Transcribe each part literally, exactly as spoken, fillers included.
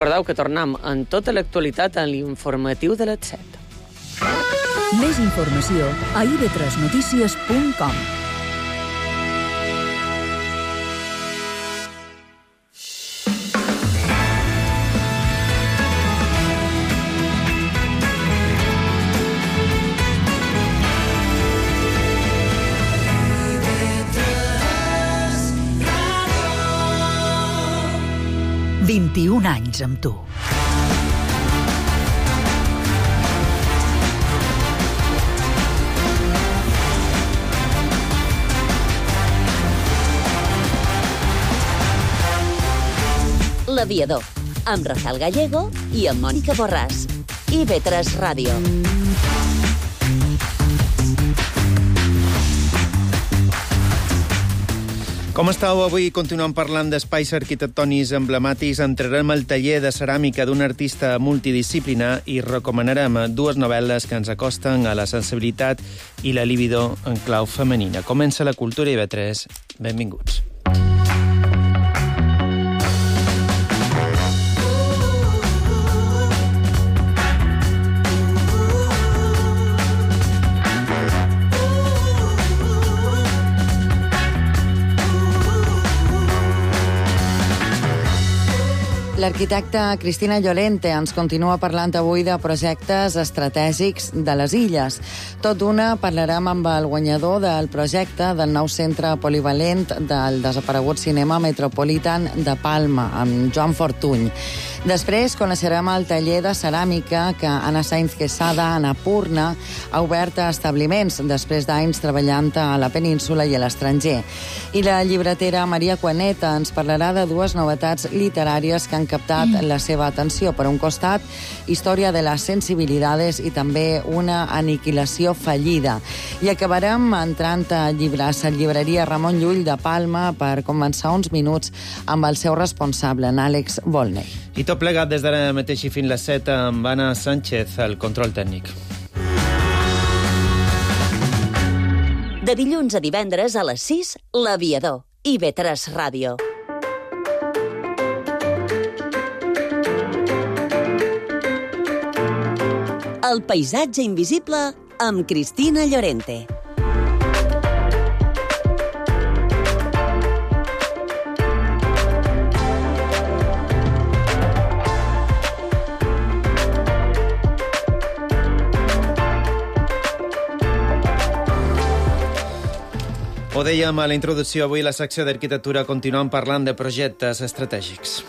Recordeu que tornem en tota l'actualitat en l'informatiu de les set. Més informació a i ve tres notícies punt com. vint-i-un anys amb tu. L'Aviador, amb Rafael Gallego i amb Mònica Borràs. i ve tres Ràdio. Com estàu? Avui continuem parlant d'espais arquitectònics emblemàtics. Entrarem al taller de ceràmica d'un artista multidisciplinar i recomanarem dues novel·les que ens acosten a la sensibilitat i la libido en clau femenina. Comença la Cultura i ve tres. Benvinguts. L'arquitecta Cristina Llorente ens continua parlant avui de projectes estratègics de les illes. Tot d'una parlarem amb el guanyador del projecte del nou centre polivalent del desaparegut cinema Metropolitan de Palma, amb Joan Fortuny. Després coneixerem el taller de ceràmica que Anna Sainz Quesada, Annapurna, ha obert a establiments després d'anys treballant a la península i a l'estranger. I la llibretera Maria Cuaneta ens parlarà de dues novetats literàries que han captat la seva atenció. Per un costat, història de les sensibilidades i també una aniquilació fallida. I acabarem entrant a llibres a llibreria Ramon Llull de Palma per començar uns minuts amb el seu responsable, en Àlex Volney. I tot plegat des d'ara mateix i fins les set amb Anna Sánchez, el control tècnic. De dilluns a divendres a les sis, l'Aviador. i ve tres Ràdio. El paisatge invisible amb Cristina Llorente. Ho dèiem a la introducció, avui la secció d'arquitectura continuem parlant de projectes estratègics.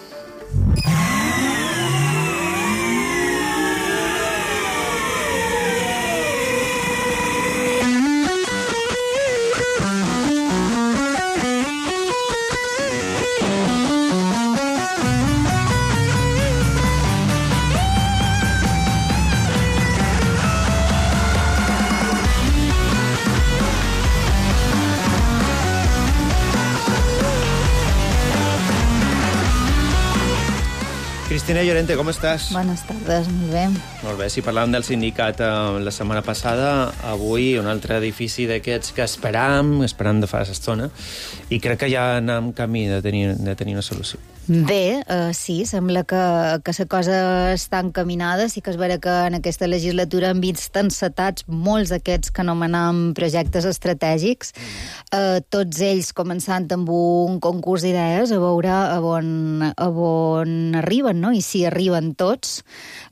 Cristina Llorente, com estàs? Bones tardes, molt bé. Molt bé, si parlàvem del sindicat eh, la setmana passada, avui un altre edifici d'aquests que esperam, esperam de fa estona, i crec que ja anem camí de tenir, de tenir una solució. Bé, uh, sí, sembla que, que la cosa està encaminada. Sí que és vera que en aquesta legislatura han vist encetats molts d'aquests que anomenem projectes estratègics, uh, tots ells començant amb un concurs d'idees a veure a on, a on arriben, no? I si arriben tots,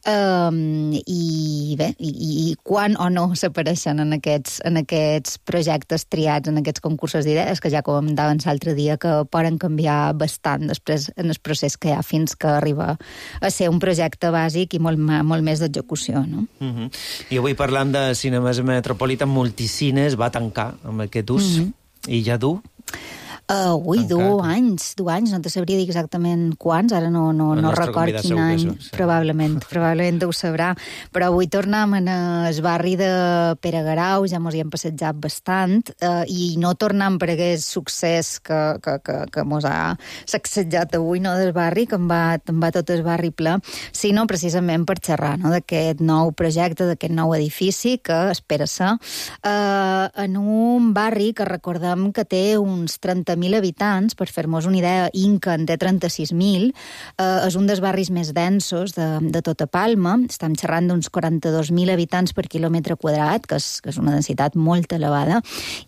um, i bé, i, i quan o no s'apareixen en aquests, en aquests projectes triats, en aquests concursos d'idees, que ja comentaven l'altre dia que poden canviar bastant després en el procés que hi ha fins que arriba a ser un projecte bàsic i molt, molt més d'execució, no? Uh-huh. I avui parlant de cinemes Metropolitan, Multicines va tancar amb aquest ús, uh-huh. i ja dur. Uh, ui, du anys, du anys, no te sabria dir exactament quants, ara no, no, no record quin any, sí. probablement, probablement ho sabrà, però avui tornem en el barri de Pere Garau, ja mos hi hem passejat bastant, uh, i no tornem per aquest succés que, que, que, que mos ha sacsejat avui, no, del barri, que em va, em va tot el barri ple, sinó precisament per xerrar, no, d'aquest nou projecte, d'aquest nou edifici que espera ser uh, en un barri que recordem que té uns trenta mil habitants, per fer-nos una idea, Inca en té trenta-sis mil, eh, és un dels barris més densos de, de tota Palma, estem xerrant d'uns quaranta-dos mil habitants per quilòmetre quadrat, que és, que és una densitat molt elevada,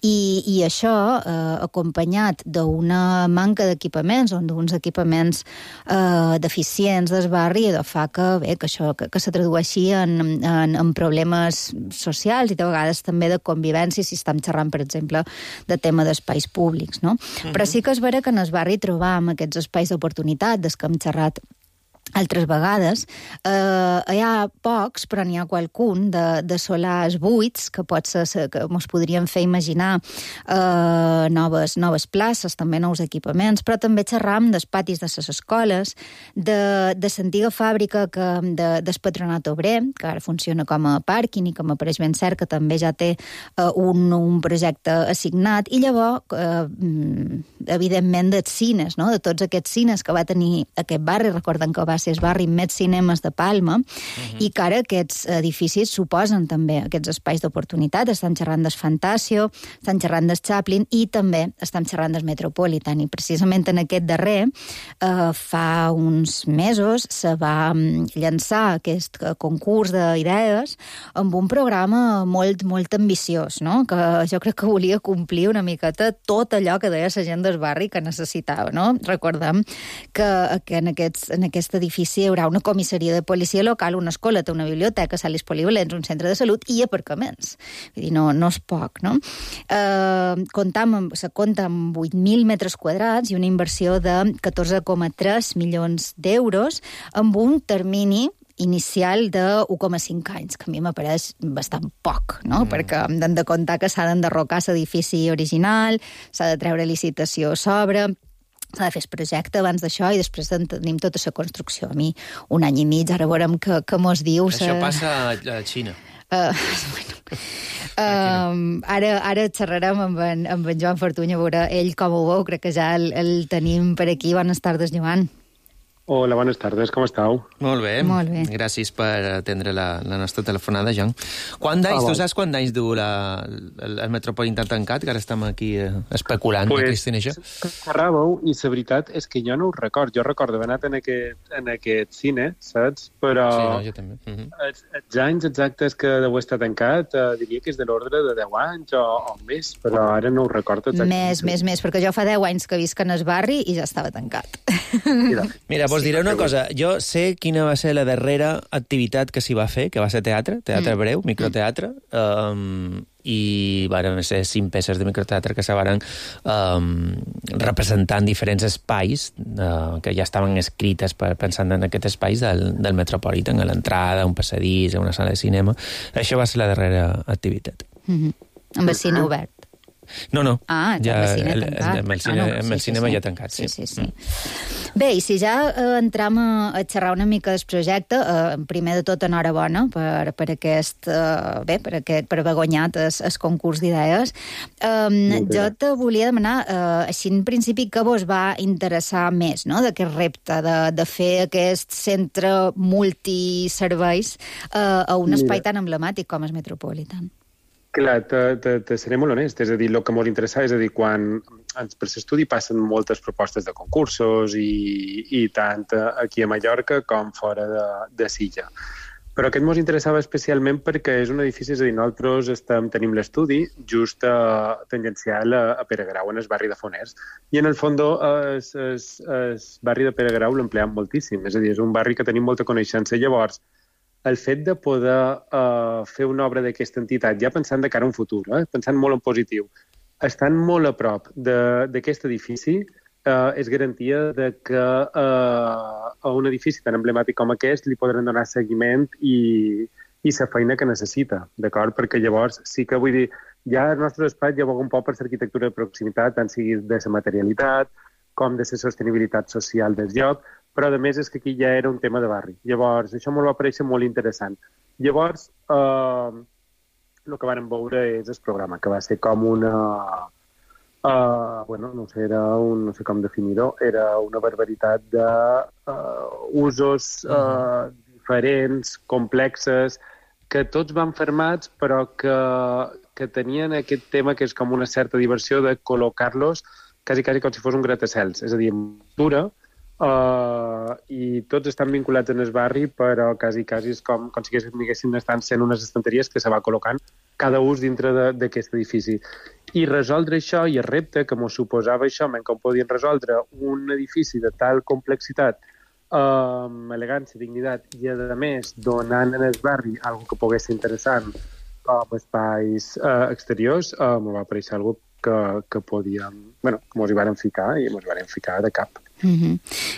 i, i això, eh, acompanyat d'una manca d'equipaments, o d'uns equipaments eh, deficients del barri, de fa que, bé, que això que, que se tradueixi en, en, en problemes socials i de vegades també de convivència, si estem xerrant, per exemple, de tema d'espais públics, no? Uh-huh. Però sí que és vera que en el barri trobam aquests espais d'oportunitat des que hem xerrat altres vegades. Eh, hi ha pocs, però n'hi ha qualcun de, de solars buits que pot ser, que ens podríem fer imaginar eh, noves, noves places, també nous equipaments, però també xerram dels patis de les escoles, de, de l'antiga fàbrica que, de, del Patronat Obrer, que ara funciona com a pàrquing i com apareix ben cert, que també ja té eh, un, un projecte assignat, i llavors, eh, evidentment, dels cines, no? De tots aquests cines que va tenir aquest barri, recorden que va ser el barri més cinemes de Palma, uh-huh. i que ara aquests edificis suposen també aquests espais d'oportunitat. Estem xerrant del Fantasio, estem xerrant del Chaplin i també estem xerrant del Metropolitan. I precisament en aquest darrer, eh, fa uns mesos, se va llançar aquest concurs d'idees amb un programa molt, molt ambiciós, no? Que jo crec que volia complir una miqueta tot allò que deia la gent del barri que necessitava, no? Recordem que, que en, aquests, en aquest edifici hi haurà una comissaria de policia local, una escoleta, una biblioteca, sales polivalents, un centre de salut i aparcaments. Vull dir, no, no és poc, no? Eh, comptam, se compta amb vuit mil metres quadrats i una inversió de catorze coma tres milions d'euros amb un termini inicial de u coma cinc anys, que a mi m'apareix bastant poc, no? Mm. Perquè hem de comptar que s'ha d'enderrocar l'edifici original, s'ha de treure licitació a sobre, s'ha de fer el projecte abans d'això i després tenim tota la construcció. A mi, un any i mig, ara veurem què, què mos diu. Això sa... passa a Xina. Uh, bueno. uh, ara, ara xerrarem amb en, amb en Joan Fortuny, a veure ell com ho veu, crec que ja el, el tenim per aquí. Bones tardes, Joan. Hola, bones tardes, com esteu? Molt bé. Molt bé. Gràcies per atendre la, la nostra telefonada, Joan. Quant d'anys, ah, tu saps quant d'anys du la, el, el Metropolitan tancat, que ara estem aquí eh, especulant, pues, Cristina, això? Xerràveu, i la veritat és que jo no ho record. Jo recordo haver anat en aquest, en aquest cine, saps? Però sí, no, jo també. Uh -huh. els, els anys exactes que deu estar tancat, eh, diria que és de l'ordre de deu anys o, o més, però ara no ho recordo exactament. Més, més, més, perquè jo fa deu anys que visc en el barri i ja estava tancat. Mira, Mira vos diré una cosa. Jo sé quina va ser la darrera activitat que s'hi va fer, que va ser teatre, teatre mm. breu, microteatre, um, i van ser cinc peces de microteatre que se van um, representant diferents espais uh, que ja estaven escrites per, pensant en aquests espais del, del Metropolitan, a l'entrada, un passadís, a una sala de cinema. Això va ser la darrera activitat. Mm-hmm. Amb el cine obert. No, no. Ah, ja el cine el, tancat. el, el, cine, ah, no, sí, el cinema sí, sí. ja tancat, sí. Sí, sí, sí. Bé, i si ja eh, entram a, a xerrar una mica del projecte, eh, primer de tot, enhorabona per, per aquest, eh, bé, per, aquest, per haver guanyat el, el concurs d'idees. Eh, jo te volia demanar, eh, així en principi, què vos va interessar més, no?, d'aquest repte, de, de fer aquest centre multiserveis eh, a un espai tan emblemàtic com el Metropolitan. Clar, te, te, te seré molt honest. És a dir, el que molt interessava és a dir, quan per l'estudi passen moltes propostes de concursos i, i tant aquí a Mallorca com fora de, de Silla. Però aquest ens interessava especialment perquè és un edifici, és a dir, nosaltres estem, tenim l'estudi just a, tangencial a, a Pere Grau, en el barri de Foners, i en el fons el barri de Pere Grau l'empleam moltíssim. És a dir, és un barri que tenim molta coneixença. Llavors, el fet de poder uh, fer una obra d'aquesta entitat, ja pensant de cara a un futur, eh? pensant molt en positiu, estant molt a prop d'aquest edifici, uh, és garantia de que uh, a un edifici tan emblemàtic com aquest li podran donar seguiment i, i la feina que necessita, d'acord? Perquè llavors sí que vull dir, ja el nostre espai ja va un poc per l'arquitectura de proximitat, tant sigui de la materialitat com de la sostenibilitat social del lloc, però a més és que aquí ja era un tema de barri. Llavors, això m'ho va parèixer molt interessant. Llavors, eh, el que vam veure és el programa, que va ser com una... Eh, bueno, no sé, era un, no sé com definir-ho, era una barbaritat d'usos uh, uh, diferents, complexes, que tots van fermats, però que, que tenien aquest tema que és com una certa diversió de col·locar-los quasi, quasi com si fos un gratacels, és a dir, dura, uh, i tots estan vinculats en el barri, però quasi, quasi és com, com si haguessin estan sent unes estanteries que se va col·locant cada ús dintre d'aquest edifici. I resoldre això, i el repte que mos suposava això, com podien resoldre un edifici de tal complexitat, um, elegància, dignitat, i a més donant en el barri algo que pogués ser interessant com espais uh, exteriors, uh, m'ho va aparèixer algo que, que podíem, bueno, que mos hi vàrem ficar i mos hi vàrem ficar de cap. Mm-hmm.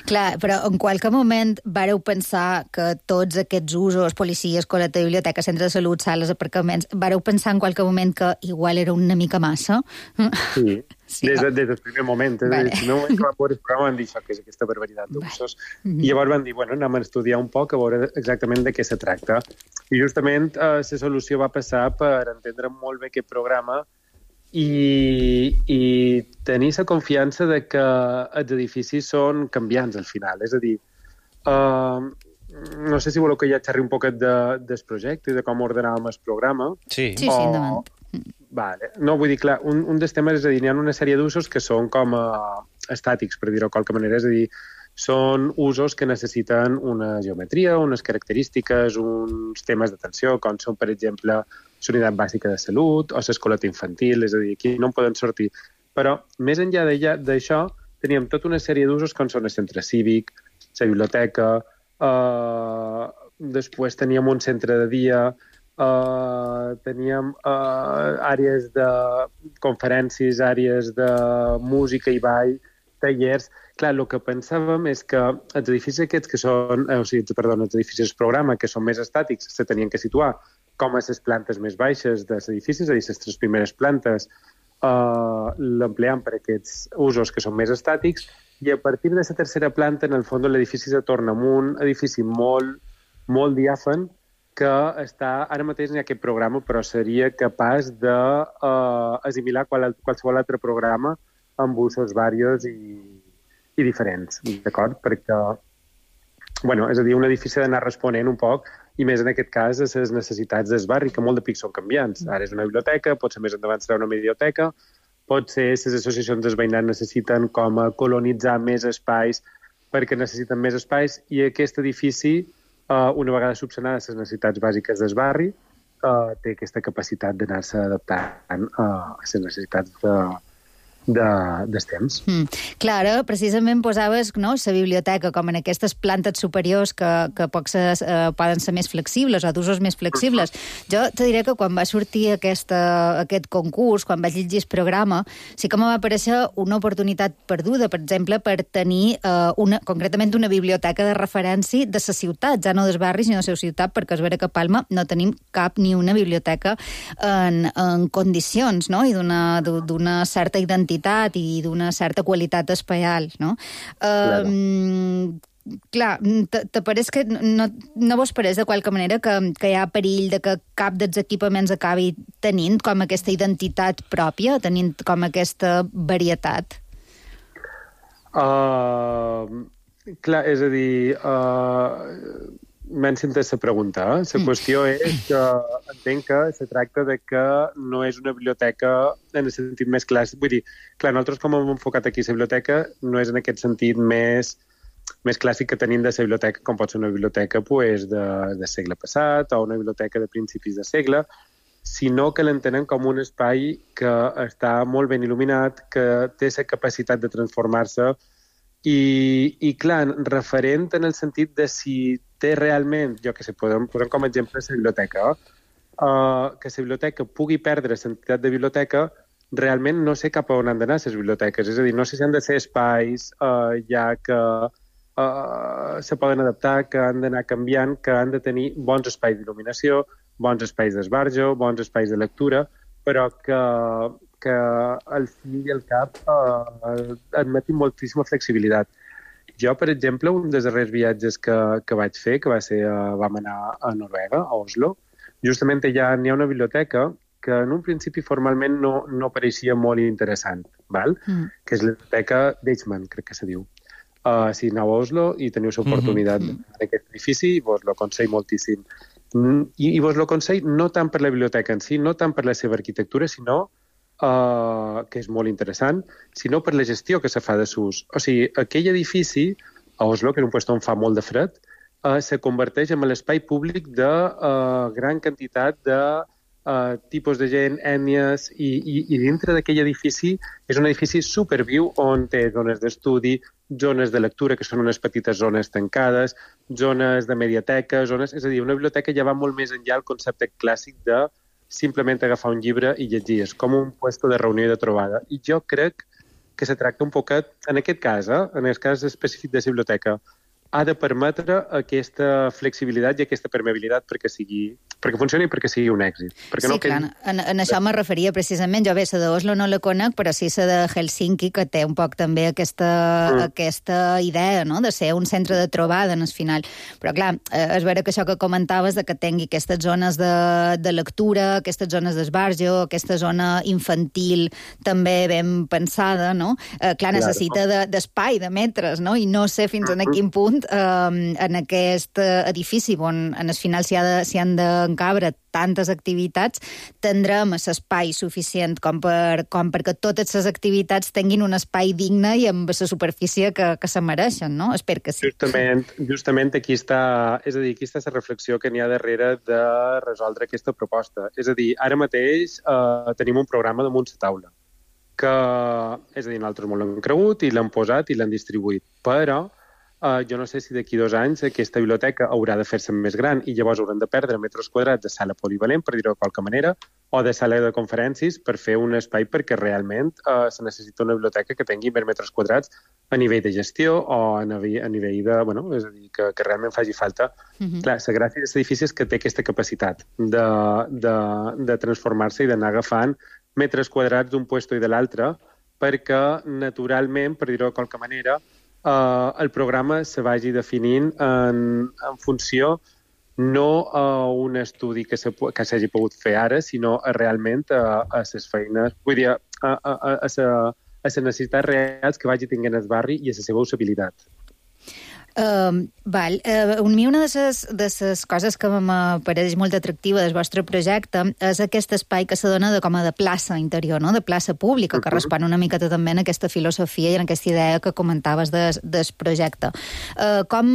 Clar, però en qualque moment vareu pensar que tots aquests usos, policies, coleta, biblioteca, centre de salut, sales, aparcaments, vareu pensar en qualque moment que igual era una mica massa? Sí, sí, des, de, des del primer moment. Des vale. del primer moment que vam veure el programa van dir això, que és aquesta barbaritat d'usos. Vale. I llavors van dir, bueno, anem a estudiar un poc a veure exactament de què se tracta. I justament eh, la solució va passar per entendre molt bé aquest programa I, i tenir la confiança de que els edificis són canviants al final. És a dir, uh, no sé si voleu que ja xerri un poquet de, del projecte i de com ordenàvem el programa. Sí, sí, sí, endavant. Vale. No, vull dir, clar, un, un dels temes és a dir, hi ha una sèrie d'usos que són com uh, estàtics, per dir-ho de qualque manera. És a dir, són usos que necessiten una geometria, unes característiques, uns temes d'atenció, com són, per exemple, la unitat bàsica de salut o l'escoleta infantil, és a dir, aquí no en poden sortir. Però, més enllà d'això, teníem tota una sèrie d'usos com són el centre cívic, la biblioteca, eh, després teníem un centre de dia, eh, teníem eh, àrees de conferències, àrees de música i ball, tallers. Clar, el que pensàvem és que els edificis aquests que són, eh, o sigui, perdó, els edificis programa, que són més estàtics, se tenien que situar com a les plantes més baixes dels edificis, és a dir, les tres primeres plantes eh, l'empleam per aquests usos que són més estàtics, i a partir de la tercera planta, en el fons, l'edifici se torna en un edifici molt, molt diàfan que està, ara mateix n'hi ha aquest programa, però seria capaç d'assimilar uh, qualsevol altre programa amb usos varios i, i diferents, d'acord? Perquè, bueno, és a dir, un edifici ha d'anar responent un poc, i més en aquest cas a les necessitats del barri, que molt de pic són canviants. Ara és una biblioteca, potser més endavant serà una biblioteca, potser les associacions dels veïnats necessiten com a colonitzar més espais perquè necessiten més espais, i aquest edifici, una vegada subsanades les necessitats bàsiques del barri, té aquesta capacitat d'anar-se adaptant a les necessitats de... De, dels temps. Mm. Clar, precisament posaves, no, la biblioteca com en aquestes plantes superiors que, que poc se, eh, poden ser més flexibles o d'usos més flexibles. Jo te diré que quan va sortir aquesta, aquest concurs, quan vaig llegir el programa, sí que em va aparèixer una oportunitat perduda, per exemple, per tenir eh, una, concretament una biblioteca de referència de la ciutat, ja no dels barris, sinó de la ciutat, perquè és vera que a Palma no tenim cap ni una biblioteca en, en condicions, no?, i d'una certa identitat i d'una certa qualitat espaial, no? Claro. Um, clar, te pareix que no, no vos pareix de qualque manera que, que hi ha perill de que cap dels equipaments acabi tenint com aquesta identitat pròpia, tenint com aquesta varietat? Uh, clar, és a dir... Uh... M'han sentit la pregunta. La mm. qüestió és que entenc que se tracta de que no és una biblioteca en el sentit més clàssic. Vull dir, clar, nosaltres com hem enfocat aquí la biblioteca no és en aquest sentit més, més clàssic que tenim de la biblioteca, com pot ser una biblioteca pues, de, de segle passat o una biblioteca de principis de segle, sinó que l'entenen com un espai que està molt ben il·luminat, que té la capacitat de transformar-se i, i clar, referent en el sentit de si té realment, jo que sé, podem posar com a exemple la biblioteca, uh, que la biblioteca pugui perdre l'entitat de biblioteca, realment no sé cap a on han d'anar les biblioteques. És a dir, no sé si han de ser espais uh, ja que uh, se poden adaptar, que han d'anar canviant, que han de tenir bons espais d'il·luminació, bons espais d'esbarjo, bons espais de lectura, però que, que al fi i al cap uh, admetin moltíssima flexibilitat. Jo, per exemple, un dels darrers viatges que, que vaig fer, que va ser, uh, vam anar a Noruega, a Oslo, justament allà n'hi ha una biblioteca que en un principi formalment no, no pareixia molt interessant, val? Mm. Que és la biblioteca d'Eichmann, crec que se diu. Uh, si aneu a Oslo i teniu l'oportunitat mm -hmm. d'aquest edifici, vos lo aconsello moltíssim. I, i vos lo aconsello no tant per la biblioteca en si, no tant per la seva arquitectura, sinó uh, que és molt interessant, sinó per la gestió que se fa de s'ús. O sigui, aquell edifici, a Oslo, que és un lloc on fa molt de fred, uh, se converteix en l'espai públic de uh, gran quantitat de uh, tipus de gent, ètnies, i, i, i dintre d'aquell edifici és un edifici superviu on té zones d'estudi, zones de lectura, que són unes petites zones tancades, zones de mediateca, zones... És a dir, una biblioteca ja va molt més enllà del concepte clàssic de simplement agafar un llibre i llegir. És com un puesto de reunió i de trobada. I jo crec que se tracta un poquet, en aquest cas, eh, en el cas específic de la biblioteca, ha de permetre aquesta flexibilitat i aquesta permeabilitat perquè sigui perquè funcioni i perquè sigui un èxit. Perquè sí, no clar, que... en, en això me referia precisament. Jo bé, la d'Oslo no la conec, però sí la de Helsinki, que té un poc també aquesta, mm. aquesta idea, no?, de ser un centre de trobada en el final. Però clar, és vera que això que comentaves de que tingui aquestes zones de, de lectura, aquestes zones d'esbarjo, aquesta zona infantil també ben pensada, no? Eh, clar, necessita de, d'espai, de metres, no? I no sé fins a quin punt eh, en aquest edifici on en el final s'hi ha de, s'hi han d'encabre tantes activitats, tindrem l'espai suficient com, per, com perquè totes les activitats tinguin un espai digne i amb la superfície que, que se mereixen, no? Espero que sí. Justament, justament aquí està, és a dir, aquí està la reflexió que n'hi ha darrere de resoldre aquesta proposta. És a dir, ara mateix eh, tenim un programa damunt la taula, que, és a dir, nosaltres molt l'hem cregut i l'hem posat i l'hem distribuït, però Uh, jo no sé si d'aquí dos anys aquesta biblioteca haurà de fer-se més gran i llavors hauran de perdre metres quadrats de sala polivalent, per dir-ho de qualque manera, o de sala de conferències per fer un espai perquè realment uh, se necessita una biblioteca que tingui més metres quadrats a nivell de gestió o a nivell, a nivell de... Bueno, és a dir, que, que realment faci falta. Uh-huh. Clar, la gràcia d'aquest edifici és que té aquesta capacitat de, de, de transformar-se i d'anar agafant metres quadrats d'un puesto i de l'altre perquè, naturalment, per dir-ho de qualque manera, Uh, el programa se vagi definint en, en funció no a un estudi que, se, que s'hagi pogut fer ara, sinó a realment a, a ses feines, vull dir, a, a, a, a, a, a les necessitats reals que vagi tinguent el barri i a la seva usabilitat. Uh, val. Uh, a mi una de les de les coses que m'apareix molt atractiva del vostre projecte és aquest espai que se dona de, com a de plaça interior, no?, de plaça pública, que respon una miqueta també en aquesta filosofia i en aquesta idea que comentaves des, del projecte. Uh, com,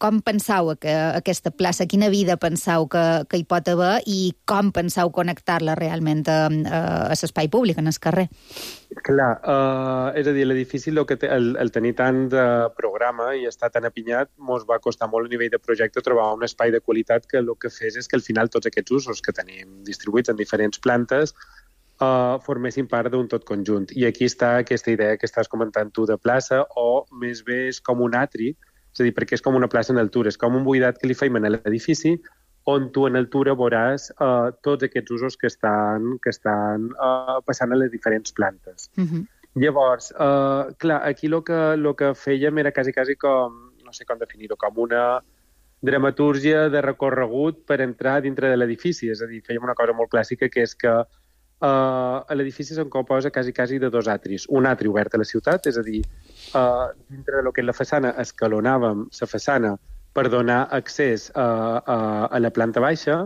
com penseu que aquesta plaça, quina vida penseu que, que hi pot haver i com penseu connectar-la realment a, a l'espai públic, en el carrer? Clar, uh, és a dir, l'edifici el, que té, el, el tenir tant de programa i està tan apinyat, mos va costar molt a nivell de projecte trobar un espai de qualitat que el que fes és que al final tots aquests usos que tenim distribuïts en diferents plantes uh, formessin part d'un tot conjunt. I aquí està aquesta idea que estàs comentant tu de plaça, o més bé és com un atri, és a dir, perquè és com una plaça en altura, és com un buidat que li feim a l'edifici, on tu en altura veuràs uh, tots aquests usos que estan, que estan uh, passant a les diferents plantes. Uh-huh. Llavors, uh, clar, aquí el que, lo que fèiem era quasi, quasi com, no sé com definir-ho, com una dramatúrgia de recorregut per entrar dintre de l'edifici. És a dir, fèiem una cosa molt clàssica, que és que uh, l'edifici se'n composa quasi, quasi de dos atris. Un atri obert a la ciutat, és a dir, uh, dintre de lo que és la façana escalonàvem la façana per donar accés a, a, a la planta baixa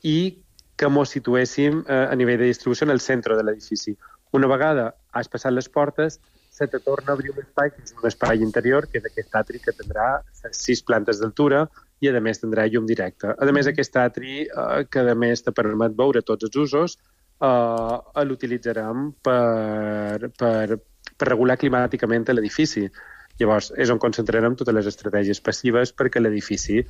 i que mos situéssim a, a nivell de distribució en el centre de l'edifici. Una vegada has passat les portes, se te torna a obrir un espai, que és un espai interior, que és aquest atri que tindrà sis plantes d'altura i, a més, tindrà llum directe. A més, aquest atri, eh, que a més te permet veure tots els usos, eh, l'utilitzarem per, per, per regular climàticament l'edifici. Llavors, és on concentrarem totes les estratègies passives perquè l'edifici,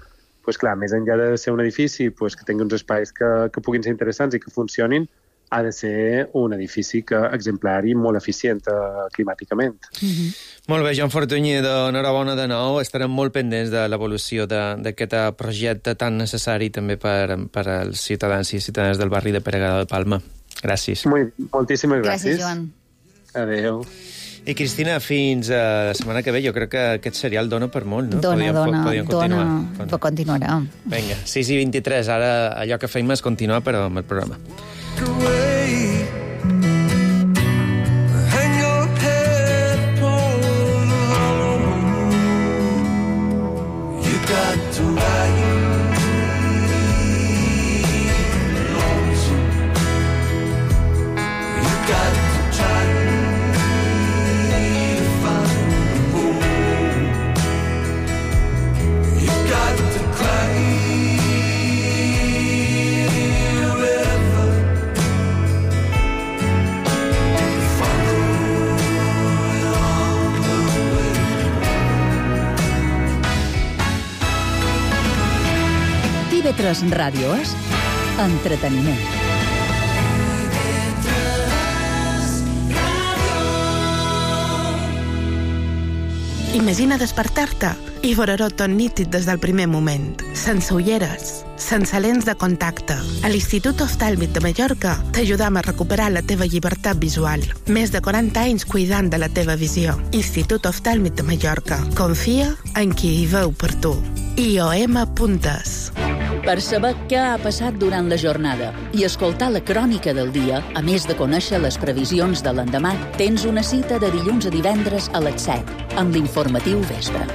pues, clar, més enllà de ser un edifici pues, que tingui uns espais que, que puguin ser interessants i que funcionin, ha de ser un edifici que, exemplar i molt eficient uh, climàticament. Mm-hmm. Molt bé, Joan Fortuny, enhorabona de nou. Estarem molt pendents de l'evolució d'aquest projecte tan necessari també per, per als ciutadans i ciutadanes del barri de Peregada de Palma. Gràcies. Molt, moltíssimes gràcies. Gràcies, Joan. Adéu. I, Cristina, fins a la setmana que ve, jo crec que aquest serial dona per molt, no? Dona, podíem, dona, podíem dona, continuar. continuarà. Vinga, sis i vint-i-tres, ara allò que feim és continuar, però amb el programa. You got I V tres Ràdio és entreteniment. Imagina despertar-te i veure-ho tot nítid des del primer moment, sense ulleres, sense lents de contacte. A l'Institut Oftàlmic de Mallorca t'ajudam a recuperar la teva llibertat visual. Més de quaranta anys cuidant de la teva visió. Institut Oftàlmic de Mallorca. Confia en qui hi veu per tu. I O M Puntes. Per saber què ha passat durant la jornada i escoltar la crònica del dia, a més de conèixer les previsions de l'endemà, tens una cita de dilluns a divendres a les set, amb l'informatiu Vespre.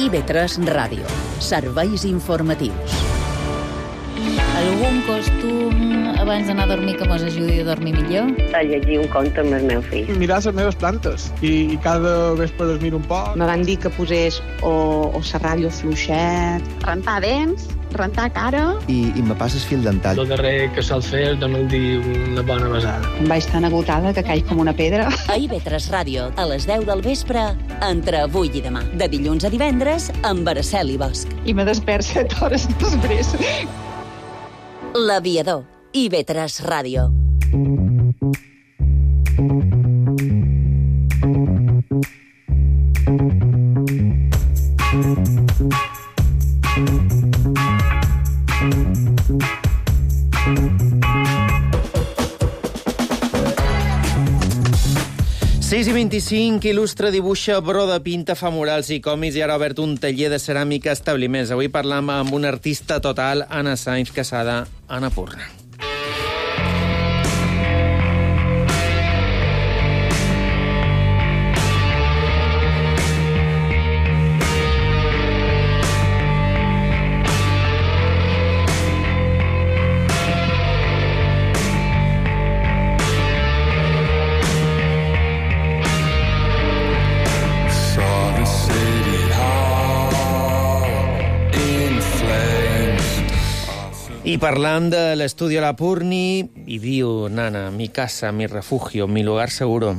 I V tres Ràdio. Serveis informatius. Algun costum abans d'anar a dormir que mos ajudi a dormir millor? A llegir un conte amb el meu fill. Mirar les meves plantes i, i cada vespre les miro un poc. Me van dir que posés o, o serrallo fluixet, rentar dents, rentar cara... I, i me passes fil dental. El darrer que sol fer és donar-li una bona besada. Em vaig tan agotada que caig com una pedra. A I V tres Ràdio, a les deu del vespre, entre avui i demà. De dilluns a divendres, amb Araceli Bosch. I me despert set hores després. L'Aviador. I V tres Ràdio. sis i vint-i-cinc, il·lustra, dibuixa, broda, pinta, fa murals i còmics i ara ha obert un taller de ceràmica a establiments. Avui parlam amb una artista total, Anna Sainz Casada, Annapurna. I parlant de l'estudi Annapurni, i diu, Nana, mi casa, mi refugio, mi lugar seguro.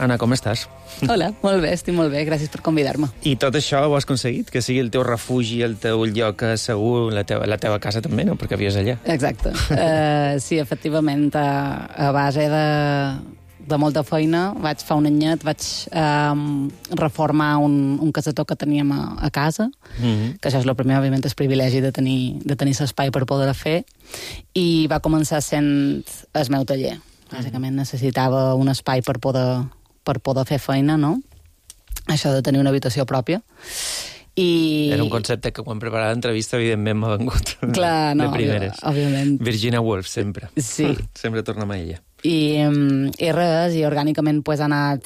Anna, com estàs? Hola, molt bé, estic molt bé, gràcies per convidar-me. I tot això ho has aconseguit? Que sigui el teu refugi, el teu lloc segur, la teva, la teva casa també, no? Perquè vius allà. Exacte. uh, sí, efectivament, a, a base de... de molta feina, vaig fa un anyet, vaig um, reformar un, un casetó que teníem a, a casa, mm-hmm. que això és el primer, òbviament, és privilegi de tenir, de tenir l'espai per poder fer, i va començar sent el meu taller. Bàsicament necessitava un espai per poder, per poder fer feina, no? Això de tenir una habitació pròpia. I... Era un concepte que quan preparava l'entrevista evidentment m'ha vengut. Clar, no, de primeres. Òbviament. Virginia Woolf, sempre. Sí. Sempre tornem a ella. I, i res, i orgànicament pues, ha, anat,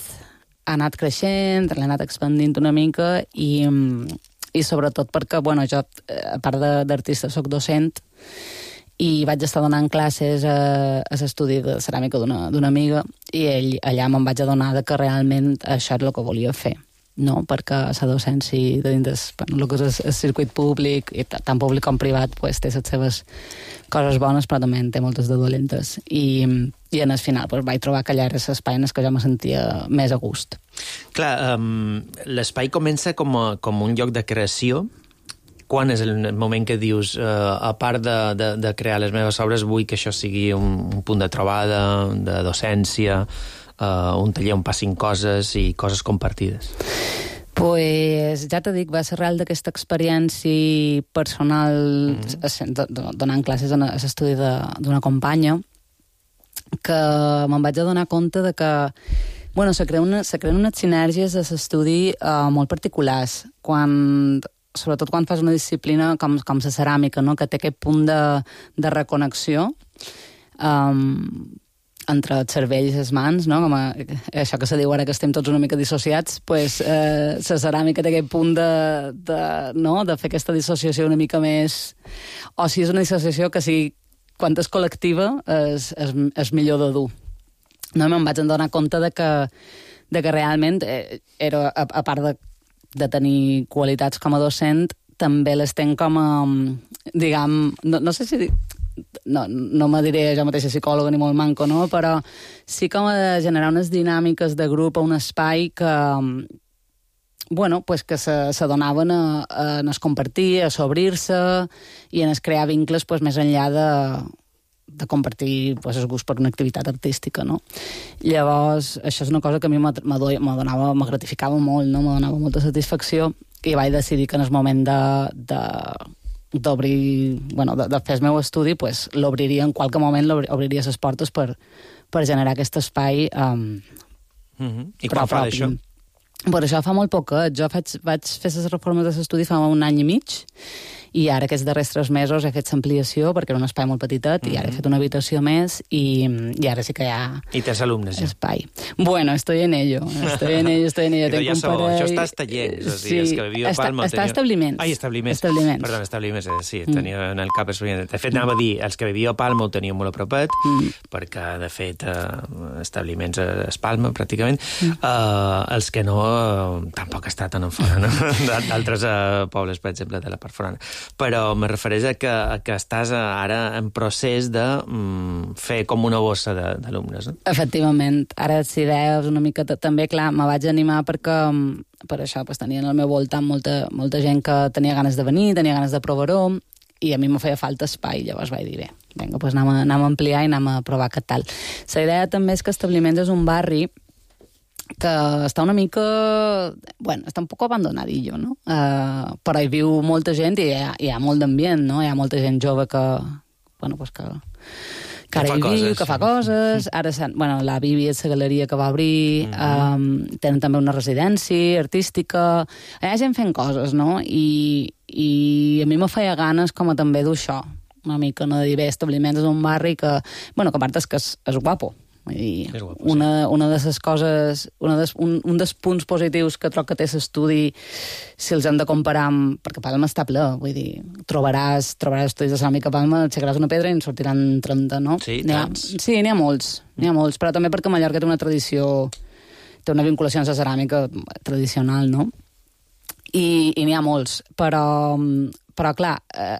ha anat creixent, l'ha anat expandint una mica i, i sobretot perquè, bueno, jo, a part d'artista, soc docent i vaig estar donant classes a, a l'estudi de ceràmica d'una amiga i ell, allà me'n vaig adonar que realment això és el que volia fer. No, perquè la docència de dins bueno, el que és el circuit públic, i tant públic com privat, pues, té les seves coses bones, però també en té moltes de dolentes. I, i en el final pues, vaig trobar que allà era l'espai en què jo me sentia més a gust. Clar, um, l'espai comença com, a, com un lloc de creació. Quan és el moment que dius, uh, a part de, de, de crear les meves obres, vull que això sigui un, un punt de trobada, de docència, Uh, un taller on passin coses i coses compartides? Pues, ja t'ho dic, va ser real d'aquesta experiència personal mm-hmm. donant classes a l'estudi d'una companya que me'n vaig adonar compte de que bueno, se creen, una, se creen unes sinergies a l'estudi uh, molt particulars, quan, sobretot quan fas una disciplina com, com la ceràmica, no? Que té aquest punt de, de reconnexió um, entre el cervell i les mans, no? Com a, això que se diu ara que estem tots una mica dissociats, pues, eh, la ceràmica té aquest punt de, de, no? de fer aquesta dissociació una mica més... O si és una dissociació que sigui, quan és col·lectiva, és, és, és millor de dur. No? Me'n vaig adonar compte de que, de que realment, eh, era, a, a part de, de tenir qualitats com a docent, també les tenc com a, diguem, no, no sé si... No, no me diré jo mateixa psicòloga ni molt manco, no? Però sí com a de generar unes dinàmiques de grup a un espai que, bueno, pues que s'adonaven a, a, a es compartir, a s'obrir-se i a es crear vincles pues, més enllà de, de compartir pues, el gust per una activitat artística, no? Llavors, això és una cosa que a mi me donava, me gratificava molt, no? Me donava molta satisfacció i vaig decidir que en el moment de, de, d'obrir, bueno, de, de fer el meu estudi, pues, l'obriria en qualque moment, l'obriria les portes per, per generar aquest espai um, mm-hmm. I quan fa d'això? Per això fa molt poquet. Jo faig, vaig fer les reformes de l'estudi fa un any i mig i ara aquests darrers tres mesos he fet l'ampliació perquè era un espai molt petitet mm-hmm. i ara he fet una habitació més i, i ara sí que hi ha I tens alumnes ja? Espai. Bueno, estoy en ello. Estoy en ello, estoy en ello. Però ja sabeu, això està estallents, o sigui, sí. Els que viviu a Palma... Està, està tenia... establiments. Ai, establiments. Establiments. Perdó, establiments, eh, sí, tenia en el cap establiments. De fet, anava a dir, els que viviu a Palma ho teníem molt a propet, mm. perquè, de fet, eh, establiments és Palma, pràcticament. Mm. Eh, els que no, eh, tampoc està tan en fora, no? D'altres eh, pobles, per exemple, de la part forana. Però me refereix a que, a que estàs ara en procés de mm, fer com una bossa d'alumnes, no? Efectivament. Ara, si deies una mica també, clar, me vaig animar perquè per això pues, tenia en el meu voltant molta, molta gent que tenia ganes de venir, tenia ganes de provar-ho, i a mi me feia falta espai. Llavors vaig dir, bé, vinga, pues anem, a, anem a ampliar i anem a provar què tal. La idea també és que Establiments és un barri que està una mica... Bueno, està un poc abandonadillo, no? Uh, però hi viu molta gent i hi ha, hi ha molt d'ambient, no? Hi ha molta gent jove que... Bueno, pues que... que ara hi viu, que fa coses... Ara, bueno, la Bibi és la galeria que va obrir, mm-hmm. um, tenen també una residència artística... Hi ha gent fent coses, no? I, i a mi me feia ganes com a també d'això, una mica, no? De dir, bé, Establiments és un barri que... Bueno, que a part és que és, és guapo. I guapo, una, sí. una de les coses, una des, un, un dels punts positius que troc que té l'estudi, si els hem de comparar amb... Perquè Palma està ple, vull dir, trobaràs, trobaràs estudis de ceràmica a Palma, aixecaràs una pedra i en sortiran trenta, no? Sí, ha, sí, n'hi ha molts, n'hi ha molts, però també perquè Mallorca té una tradició, té una vinculació amb la ceràmica tradicional, no? I, i n'hi ha molts, però, però clar,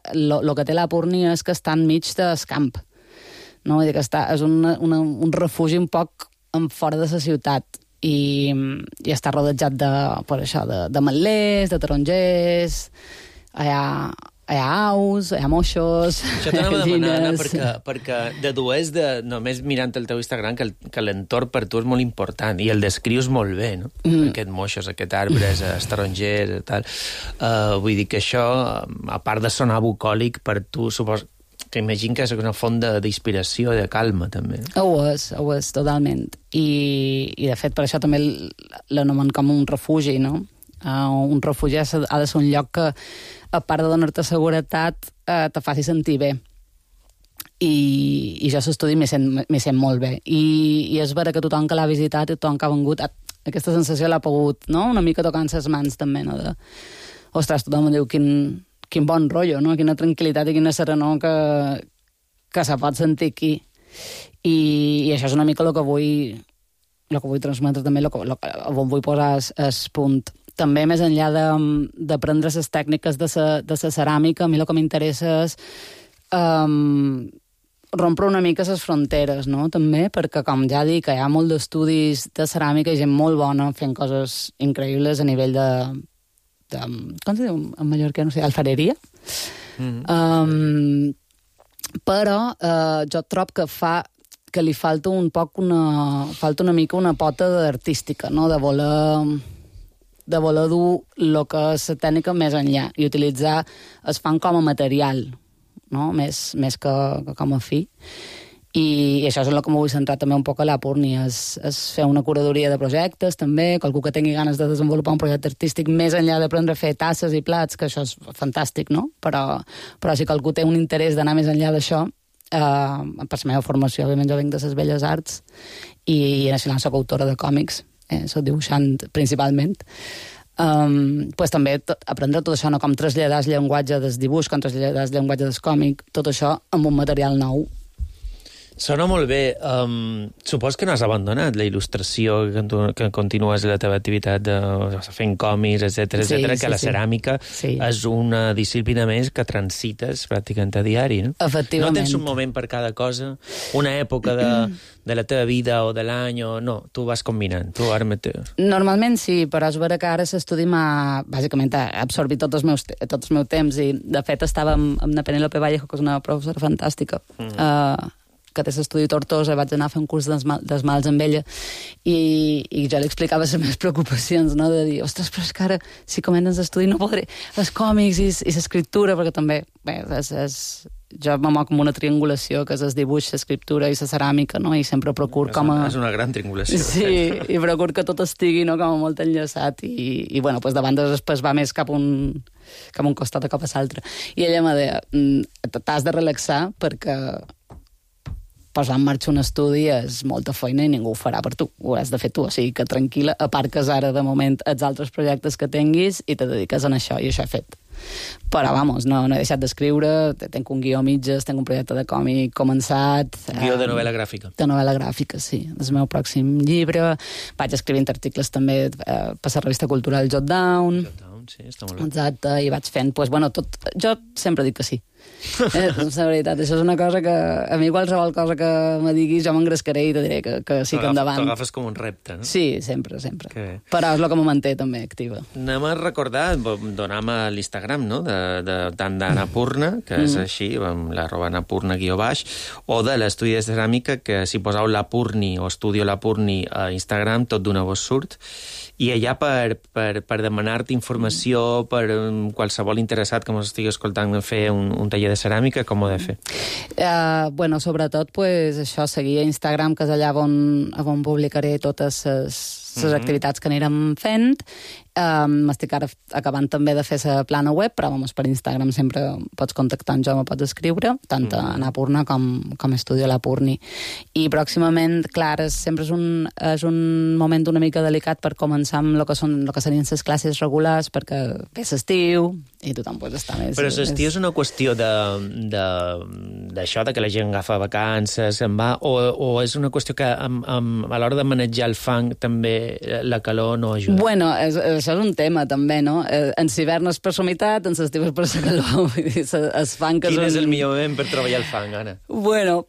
el eh, que té la Púrnia és que està enmig del camp. No? Vull dir que està, és una, una, un refugi un poc en fora de la ciutat i, i està rodejat de, per això, de, de metlers, de tarongers, hi ha, hi ha aus, hi ha moixos, això t'anava a demanar, Anna, perquè, perquè dedueix de, només mirant el teu Instagram que, el, que l'entorn per tu és molt important i el descrius molt bé, no? Mm. Aquest moixos, aquest arbres, els tarongers, tal. Uh, vull dir que això, a part de sonar bucòlic, per tu suposo que imagino que és una font d'inspiració, de calma, també. Ho és, ho és, totalment. I, i de fet, per això també l'anomen com un refugi, no? Uh, un refugi ha de ser un lloc que, a part de donar-te seguretat, uh, te faci sentir bé. I, i jo a l'estudi m'hi sent, sent molt bé. I, I és vera que tothom que l'ha visitat i tothom que ha vengut, aquesta sensació l'ha pogut, no? Una mica tocant les mans, també, no? De, ostres, tothom em diu quin... quin bon rotllo, no? Quina tranquil·litat i quina serenor que, que se pot sentir aquí. I, i això és una mica el que vull, el que vull transmetre també, el que, el que on vull posar el punt. També, més enllà d'aprendre les tècniques de la de la ceràmica, a mi el que m'interessa és um, rompre una mica les fronteres, no? També, perquè, com ja dic, hi ha molt d'estudis de ceràmica i gent molt bona fent coses increïbles a nivell de... De, com se diu en mallorquí, no sé, alfareria. Mm-hmm. Um, però uh, jo trobo que fa que li falta un poc una, falta una mica una pota artística, no? De voler de voler dur el que és la tècnica més enllà i utilitzar el fan com a material, no? Més, més que, que com a fi. I, i això és el que m'ho vull centrar també un poc a la Púrnia, és, és fer una curadoria de projectes també, qualcú que tingui ganes de desenvolupar un projecte artístic més enllà d'aprendre a fer tasses i plats, que això és fantàstic, no? Però, però si qualcú té un interès d'anar més enllà d'això, eh, per la meva formació, òbviament jo vinc de les belles arts i, i a Nacional soc autora de còmics, eh, soc dibuixant principalment, um, pues també tot, aprendre tot això, no? Com traslladar el llenguatge del dibuix, com traslladar el llenguatge del còmic, tot això amb un material nou. Sona molt bé. Um, supos que no has abandonat la il·lustració, que, tu, que continues la teva activitat de, fent còmics, etcètera, Sí, etcètera, sí, que la sí. ceràmica Sí. és una disciplina més que transites pràcticament a diari, no? Efectivament. No tens un moment per cada cosa, una època de, de la teva vida o de l'any, o no, tu vas combinant, tu ara mateix. Normalment sí, però és vera que ara l'estudi m'ha, bàsicament, ha absorbit tots els meus, tot el meu temps i, de fet, estava amb, amb la Penélope Vallejo, que és una professora fantàstica, mm. uh, que té l'estudi Tortosa, vaig anar a fer un curs d'esmal, d'esmalts amb ella i, i jo li explicava les meves preocupacions, no? De dir, ostres, però és que ara, si comences l'estudi no podré, els còmics i, i l'escriptura, perquè també, bé, és, és, jo me moc amb una triangulació, que és el dibuix, l'escriptura i la ceràmica, no? I sempre procuro és com a... Una, és una gran triangulació. Sí, i procuro que tot estigui, no?, com a molt enllaçat i, i bueno, pues davant després va més cap un, cap un costat a cap a l'altre. I ella m'ha dit, t'has de relaxar perquè posar en marxa un estudi és molta feina i ningú ho farà per tu, ho has de fer tu, o sigui que tranquil·la, aparques ara de moment els altres projectes que tinguis i te dediques a això, i això he fet. Però, vamos, no, no he deixat d'escriure, tenc un guió a mitges, tenc un projecte de còmic començat... Guió de novel·la gràfica. De novel·la gràfica, sí. És el meu pròxim llibre. Vaig escrivint articles també eh, per la revista cultural Jot Down. Jot Down, sí, està molt bé. Exacte, i vaig fent, pues, bueno, tot... Jo sempre dic que sí. Eh, la veritat, això és una cosa que a mi qualsevol cosa que me diguis jo m'engrescaré i te diré que, que sí que endavant. T'ho agafes com un repte, no? Sí, sempre, sempre. Però és el que me manté també activa. Anem a recordar, donam a l'Instagram, no?, de, de, tant d'Anapurna, que és Mm. així, amb l'arroba Anapurna guió baix, o de l'estudi de ceràmica, que si poseu l'Apurni o Estudio l'Apurni a Instagram, tot d'una vos surt. I allà per, per, per demanar-te informació, per um, qualsevol interessat que ens estigui escoltant fer un, un taller de ceràmica, com ho he de fer? Uh, bueno, sobretot, pues, això, seguir a Instagram, que és allà on, on publicaré totes les les Mhm. activitats que anirem fent. Um, M'estic ara acabant també de fer la plana web, però vamos, per Instagram sempre pots contactar amb jo, me pots escriure, tant a Anapurna com, com a Estudio l'Apurni. I pròximament, clar, és, sempre és un, és un moment una mica delicat per començar amb el que, són, el que serien les classes regulars, perquè ve l'estiu i tothom pues, està més... Però l'estiu és una qüestió de, de, d'això, de que la gent agafa vacances, se'n va, o, o és una qüestió que amb, amb, a l'hora de manejar el fang també la calor no ajuda? Bueno, és, això és un tema també, no? En l'hivern és per la humitat, en l'estiu és per la calor. Vull dir, es fan que Quin són... és el millor moment per treballar el fang, Anna? Bueno,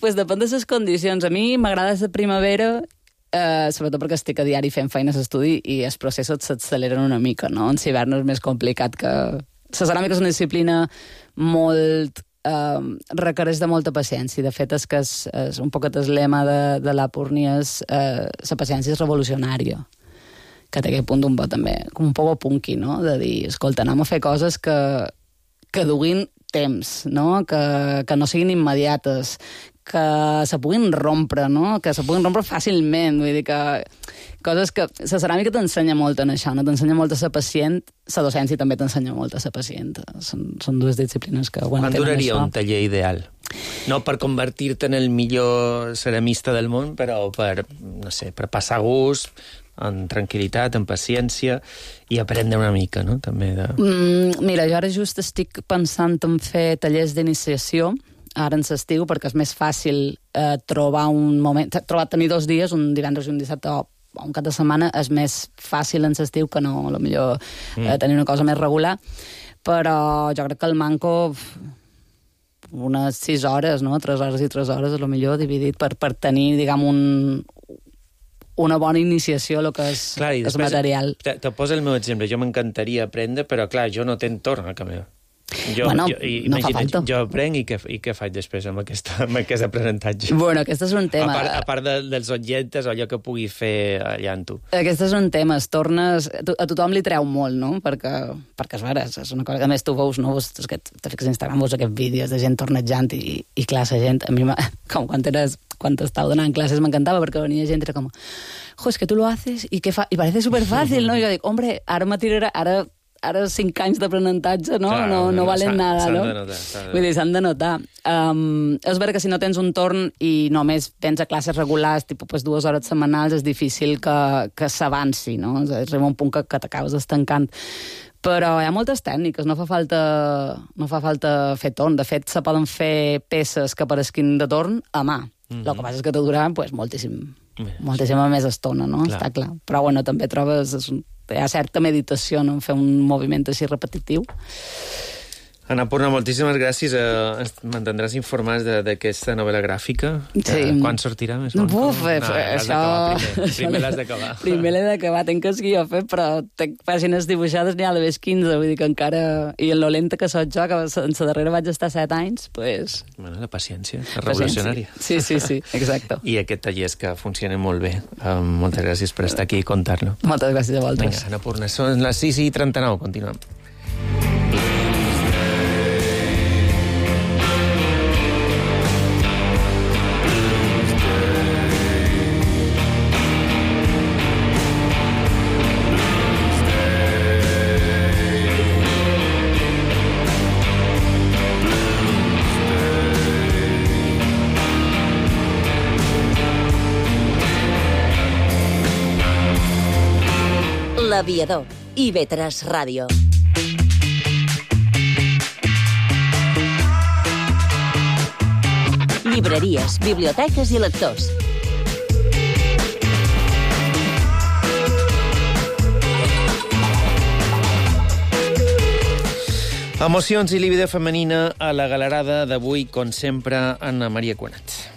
pues depèn de les condicions. A mi m'agrada la primavera, eh, sobretot perquè estic a diari fent feines d'estudi i els processos s'acceleren una mica, no? En l'hivern és més complicat que... La ceràmica és una disciplina molt... Uh, requereix de molta paciència. De fet, és que és, és un poquet el lema de, de l'Apurni és uh, la paciència és revolucionària, que té aquest punt un poc també, com un poc punky, no? De dir, escolta, anem a fer coses que, que duguin temps, no? Que, que no siguin immediates, que se puguin rompre, no? Que se puguin rompre fàcilment, vull dir que coses que... La ceràmica t'ensenya molt en això, no? T'ensenya molt a ser pacient, la docència també t'ensenya molt a ser pacient. Són, són dues disciplines que... Bueno, Quan duraria això. un taller ideal? No per convertir-te en el millor ceramista del món, però per, no sé, per passar gust, en tranquil·litat, en paciència, i aprendre una mica, no?, també de... Mm, mira, jo ara just estic pensant en fer tallers d'iniciació, ara en l'estiu, perquè és més fàcil eh, trobar un moment... Trobar tenir dos dies, un divendres i un dissabte, o un cap de setmana, és més fàcil en l'estiu que no, a lo millor, eh, Mm. tenir una cosa més regular. Però jo crec que el manco... unes sis hores, no? Tres hores i tres hores, a lo millor, dividit per, per tenir, diguem, un, una bona iniciació a lo que és, Clar, i és després material. Te, te poso el meu exemple. Jo m'encantaria aprendre, però, clar, jo no tenc torn a canviar. Jo, Bueno, jo, i, no fa imagina't, falta. jo aprenc i què, i què faig després amb, aquesta, amb aquest aprenentatge? Bueno, aquest és un tema. A part, a part de, dels objectes o allò que pugui fer allà en tu. Aquest és un tema, es tornes... A tothom li treu molt, no? Perquè, perquè és vera, és una cosa que a més tu veus, no? Veus, que te fiques a Instagram, veus aquests vídeos de gent tornejant i, i clar, la gent, a mi, com quan eres, quan estava donant classes m'encantava perquè venia gent i era com, jo, es que tu lo haces y, que fa... y parece superfàcil, no? I jo dic, hombre, ara me tirarà, ara... ara cinc anys d'aprenentatge, no? Clar, no, no valen nada, s'han no? de notar, s'han de Vull dir, s'han de notar. Um, és vera que si no tens un torn i només tens a classes regulars, tipus pues, dues hores setmanals, és difícil que, que s'avanci, no? Arriba un punt que, que t'acabes estancant. Però hi ha moltes tècniques, no fa falta, no fa falta fer torn. De fet, se poden fer peces que apareguin de torn a mà. Mm-hmm. El que passa és que te durà pues, moltíssim, moltíssima més estona, no? Clar. Està clar. Però bueno, també trobes... És un, hi ha certa meditació no? En fer un moviment així repetitiu. Anna Purna, moltíssimes gràcies. Eh, M'entendràs informats d'aquesta novel·la gràfica? Sí. Quan sortirà? Més no, Buf, no, no, això... Primer, primer l'has d'acabar. Primer l'he d'acabar, tenc que seguir fet, però tenc pàgines dibuixades n'hi ha de vez quinze, vull dir que encara... I en lo lenta que soc jo, que en la darrera vaig estar set anys, pues... Bueno, la paciència, la revolucionària. Sí, sí, sí, exacte. I aquest taller és que funciona molt bé. Um, moltes gràcies per estar aquí i contar-lo. Moltes gràcies a vosaltres. Vinga, Anna Purna, són les sis i trenta-nou, continuem. L'Aviador, i ve tres Ràdio. Llibreries, biblioteques i lectors. Emocions i líbida femenina a la galerada d'avui, com sempre, Anna Maria Cuenat.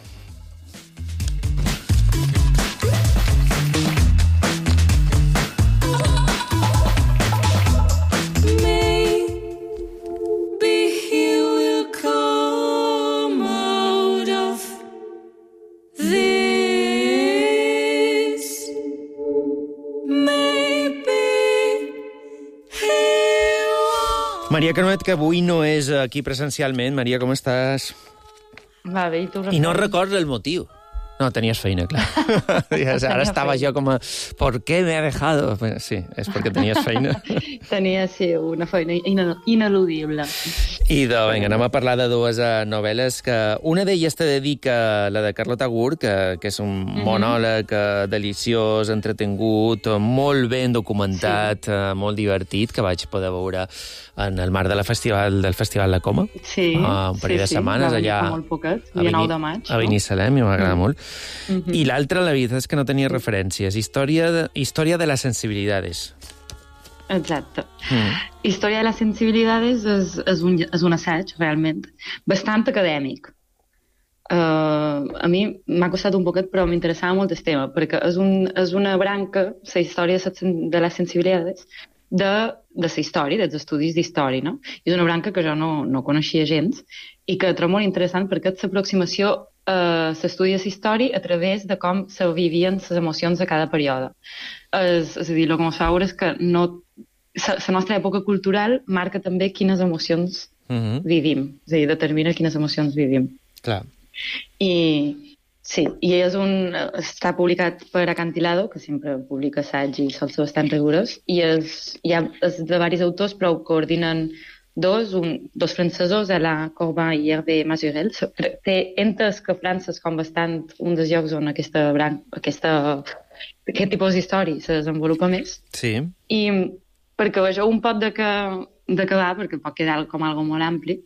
Maria Canuet, que avui no és aquí presencialment. Maria, com estàs? Va bé, i tu? I no recordo el motiu. No, tenies feina, clar. Ara estava jo com a... ¿Por qué me ha dejado? Sí, és perquè tenies feina. Tenia, sí, una feina ineludible. I doncs, vinga, anem a parlar de dues uh, novel·les que... Una d'elles te dedica la de Carlota Gurt, que, que és un mm-hmm. monòleg uh, deliciós, entretingut, molt ben documentat, sí. uh, molt divertit, que vaig poder veure en el marc de la festival, del Festival La Coma. Sí, uh, un parell sí, de setmanes sí. allà molt poquet, el nou de maig. A Binissalem, no? I m'agrada mm. molt. Mm-hmm. I l'altra, la veritat és que no tenia referències. Història de, història de las sensibilidades. Exacte. Mm. Història de les sensibilidades és, és, un, és un assaig, realment, bastant acadèmic. Uh, a mi m'ha costat un poquet, però m'interessava molt el tema, perquè és, un, és una branca, la història de les sensibilidades, de, de la història, dels estudis d'història, no? És una branca que jo no, no coneixia gens i que trobo molt interessant perquè és l'aproximació a l'estudi de la història a través de com se vivien les emocions de cada període. És, és a dir, el que ens fa veure és que no, la nostra època cultural marca també quines emocions mm-hmm. vivim, és a dir, determina quines emocions vivim. Clar. I sí, i és un, està publicat per Acantilado, que sempre publica assaig i sol ser bastant rigorós, i és, hi ha, és de diversos autors, però ho coordinen dos, un, dos francesos, Alain Corbin i Hervé Mazurel. Té entes que França és com bastant un dels llocs on aquesta branca, aquesta, aquest tipus d'història se desenvolupa més. Sí. I perquè vegeu un pot de que, de que va, perquè pot quedar com algo molt ampli,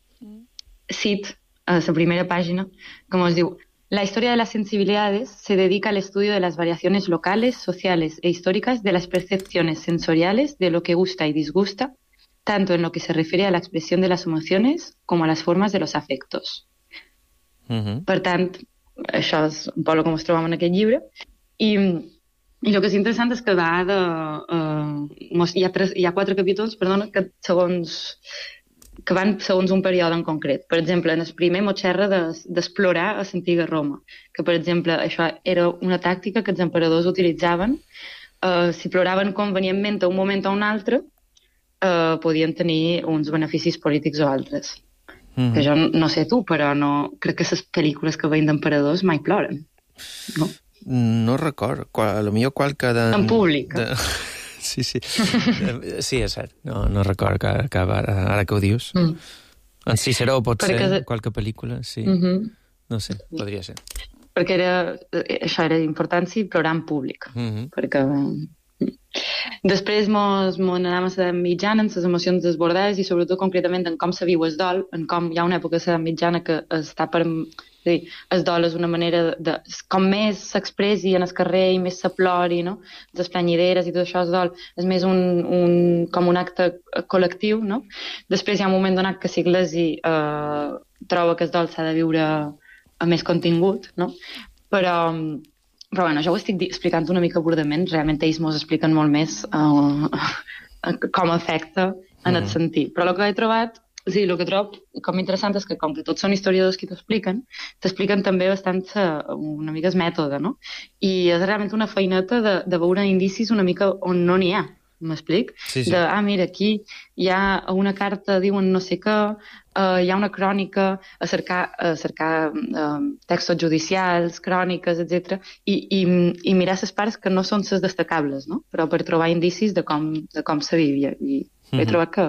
cit a la primera pàgina, com es diu: la historia de las sensibilidades se dedica al estudio de las variaciones locales, sociales e históricas de las percepciones sensoriales de lo que gusta y disgusta, tanto en lo que se refiere a la expresión de las emociones como a las formas de los afectos. Uh-huh. Per tant, això és un poc el que ens trobem en aquest llibre. I, i el que és interessant és que va de... Uh, hi, ha tres, hi ha quatre capítols, perdona, que segons... que van segons un període en concret. Per exemple, en el primer mos xerra d'explorar a l'antiga Roma, que, per exemple, això era una tàctica que els emperadors utilitzaven. Uh, si ploraven convenientment a un moment o un altre, uh, podien tenir uns beneficis polítics o altres. Mm-hmm. Que jo no sé tu, però no, crec que les pel·lícules que veiem d'emperadors mai ploren. No, no record. Qual, a lo millor qualque de... En públic. De... Sí, sí. Sí, és cert. No, no record que, que ara, ara que ho dius. Mm. En Ciceró pot Perquè... ser, qualque pel·lícula, sí. Mm-hmm. No sé, podria ser. Perquè era, això era important, sí, plorar en públic. Mm-hmm. Perquè Després mos, mos anàvem a l'edat mitjana, en les emocions desbordades i sobretot concretament en com se viu el dol, en com hi ha una època a l'edat mitjana que està per... És a dir, el dol és una manera de... de com més s'expressi en el carrer i més se plori, no? Les planyideres i tot això, el dol és més un, un, com un acte col·lectiu, no? Després hi ha un moment donat que l'Iglesi eh, troba que el dol s'ha de viure a més contingut, no? Però... Però bueno, jo ho estic explicant una mica burdament, realment ells mos expliquen molt més uh, com afecta en mm. el sentit. Però el que he trobat, sí, el que trobo com interessant és que com que tots són historiadors qui t'expliquen, t'expliquen també bastant uh, una mica el mètode, no? I és realment una feineta de, de veure indicis una mica on no n'hi ha. M'explic? Sí, sí. De, ah, mira, aquí hi ha una carta, diuen no sé què, uh, hi ha una crònica, a cercar, a cercar uh, textos judicials, cròniques, etcètera, i, i, i mirar les parts que no són les destacables, no? Però per trobar indicis de com, de com se vivia. I mm-hmm. he trobat que,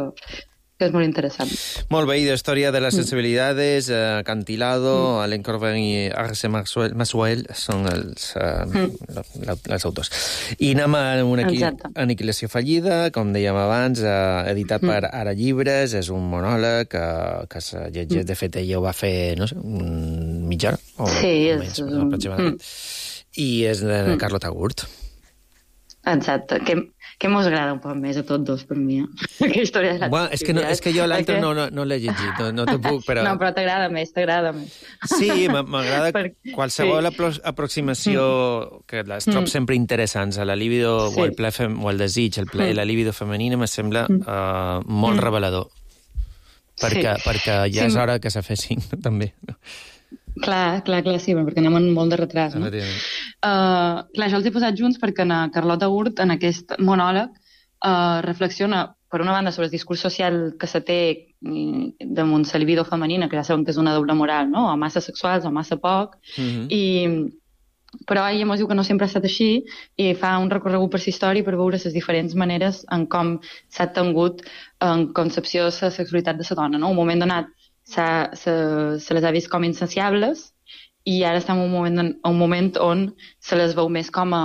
que és molt interessant. Molt bé, i de Història de les sensibilidades, uh, Cantilado, mm. Alain Corbin i Arce Masuel són els, uh, mm. els autors. I anem a una aniquilació fallida, com dèiem abans, uh, editat mm. per Ara Llibres, és un monòleg que, que se llegeix, mm. de fet ella ho va fer, no sé, un mitja hora, o sí, menys, és... aproximadament, mm. i és de mm. Carlota Gurt. Exacte, que, que mos agrada un poc més a tots dos, per mi. Eh? Que història de la bueno, és, que no, és que jo l'altre no, no, no l'he llegit, no, no te puc, però... No, però t'agrada més, t'agrada més. Sí, m'agrada per... qualsevol sí. aproximació mm. que les trob mm. sempre interessants a la libido sí. o, el ple fem, o el desig, el ple, mm. la libido femenina, me sembla mm. uh, molt mm. revelador. Perquè, sí. perquè ja sí. és hora que se fessin, també. Clar, clar, clar, sí, perquè anem amb molt de retras, no? Uh, clar, jo els he posat junts perquè na Carlota Gurt, en aquest monòleg, uh, reflexiona, per una banda, sobre el discurs social que se té damunt la libido femenina, que ja sabem que és una doble moral, no? O massa sexuals o massa poc, mm-hmm. i... però ella mos diu que no sempre ha estat així i fa un recorregut per la història per veure les diferents maneres en com s'ha tingut en concepció de la sexualitat de la dona, no? Un moment donat Se, se, se les ha vist com insaciables i ara estem en un moment, un moment on se les veu més com a,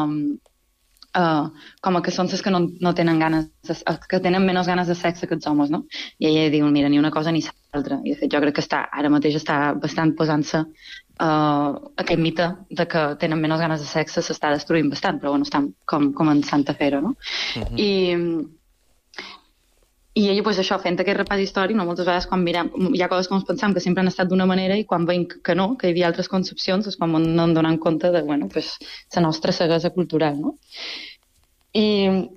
uh, com a que són les que no, no tenen ganes, de, que tenen menys ganes de sexe que els homes, no? I ella diu, mira, ni una cosa ni l'altra. I de fet jo crec que està, ara mateix està bastant posant-se uh, aquest mite de que tenen menys ganes de sexe s'està destruint bastant, però bueno, estan com, començant a fer-ho, no? Uh-huh. I... I ella, doncs, això, fent aquest repàs històric, no, moltes vegades quan mirem, hi ha coses que ens pensam que sempre han estat d'una manera i quan veiem que no, que hi havia altres concepcions, és quan no en donem compte de, bueno, pues, la nostra ceguesa cultural, no? I,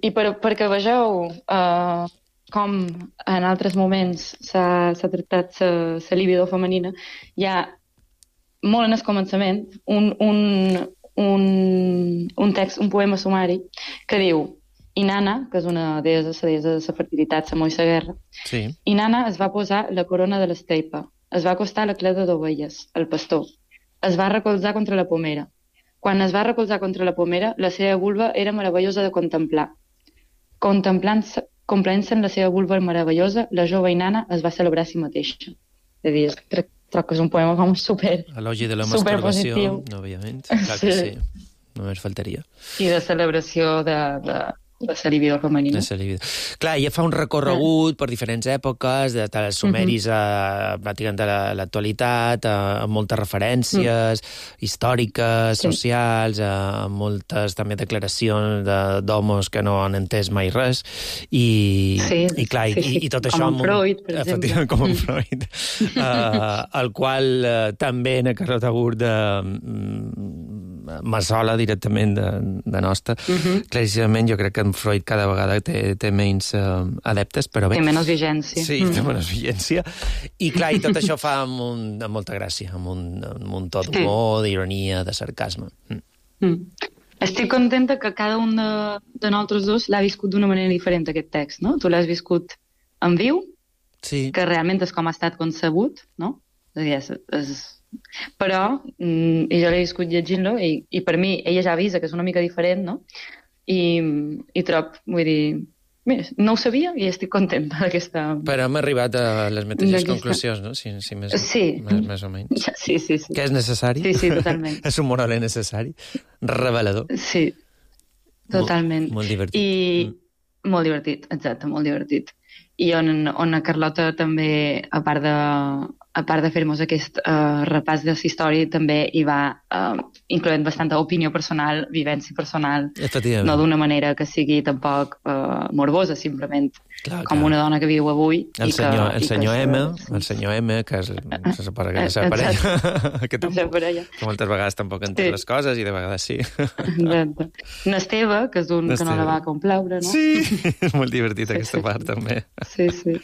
i per, perquè vegeu uh, com en altres moments s'ha tractat la libido femenina, hi ha molt en el començament un, un, un, un text, un poema sumari, que diu Inanna, que és una deessa, la deessa de la fertilitat, la Moisa Guerra, sí. Inanna es va posar la corona de l'esteipa, es va acostar a la cleda d'ovelles, el pastor, es va recolzar contra la pomera. Quan es va recolzar contra la pomera, la seva vulva era meravellosa de contemplar. Contemplant-se en la seva vulva meravellosa, la jove Inanna es va celebrar a si mateixa. És a dir, crec, crec que és un poema com super Elogi de la masturbació, òbviament. Clar que sí, només faltaria. I de celebració de... de de la libido femenina. De la libido. Clar, ella fa un recorregut per diferents èpoques, de els sumeris a, pràcticament a l'actualitat, amb moltes referències mm. històriques, sí. socials, amb moltes també declaracions d'homes que no han entès mai res, i, sí, i clar, sí, sí. i, i tot com això... Com en Freud, per exemple. Com en Freud. uh, el qual uh, també en Carlota Gurt de Massola directament de, de nostra. Uh-huh. Claríssimament jo crec que en Freud cada vegada té, té menys uh, adeptes, però bé... Té menys vigència. Sí, mm. té menys vigència. I clar, i tot això fa amb, un, amb molta gràcia, amb un, amb un to d'humor, d'ironia, de sarcasme. Mm. Mm. Estic contenta que cada un de, de nosaltres dos l'ha viscut d'una manera diferent, aquest text, no? Tu l'has viscut en viu, sí. que realment és com ha estat concebut, no? És a dir, és... és però mm, jo l'he viscut llegint-lo i, i per mi ella ja avisa que és una mica diferent, no? I, i trob, vull dir, mira, no ho sabia i estic contenta d'aquesta... Però hem arribat a les mateixes conclusions, no? Si, si més, sí. més, més o menys. Sí, sí, sí. Que és necessari? Sí, sí, totalment. És un monòleg necessari, revelador. Sí. totalment. Molt, molt divertit. I mm. molt divertit, exacte, molt divertit. I on, on a Carlota també, a part de, a part de fer-nos aquest uh, repàs de la història, també hi va uh, incloent bastanta opinió personal, vivència personal, no d'una manera que sigui tampoc uh, morbosa, simplement clar, com clar. Una dona que viu avui. El i senyor, que, el i senyor que M, sí. el senyor M, que és se suposa que és la parella, que, tampoc, que moltes vegades tampoc entén sí. les coses i de vegades sí. Exacte. N'Esteve, que és un que no la va complaure, no? Sí, és molt divertit sí, aquesta sí, part, sí. també. Sí, sí.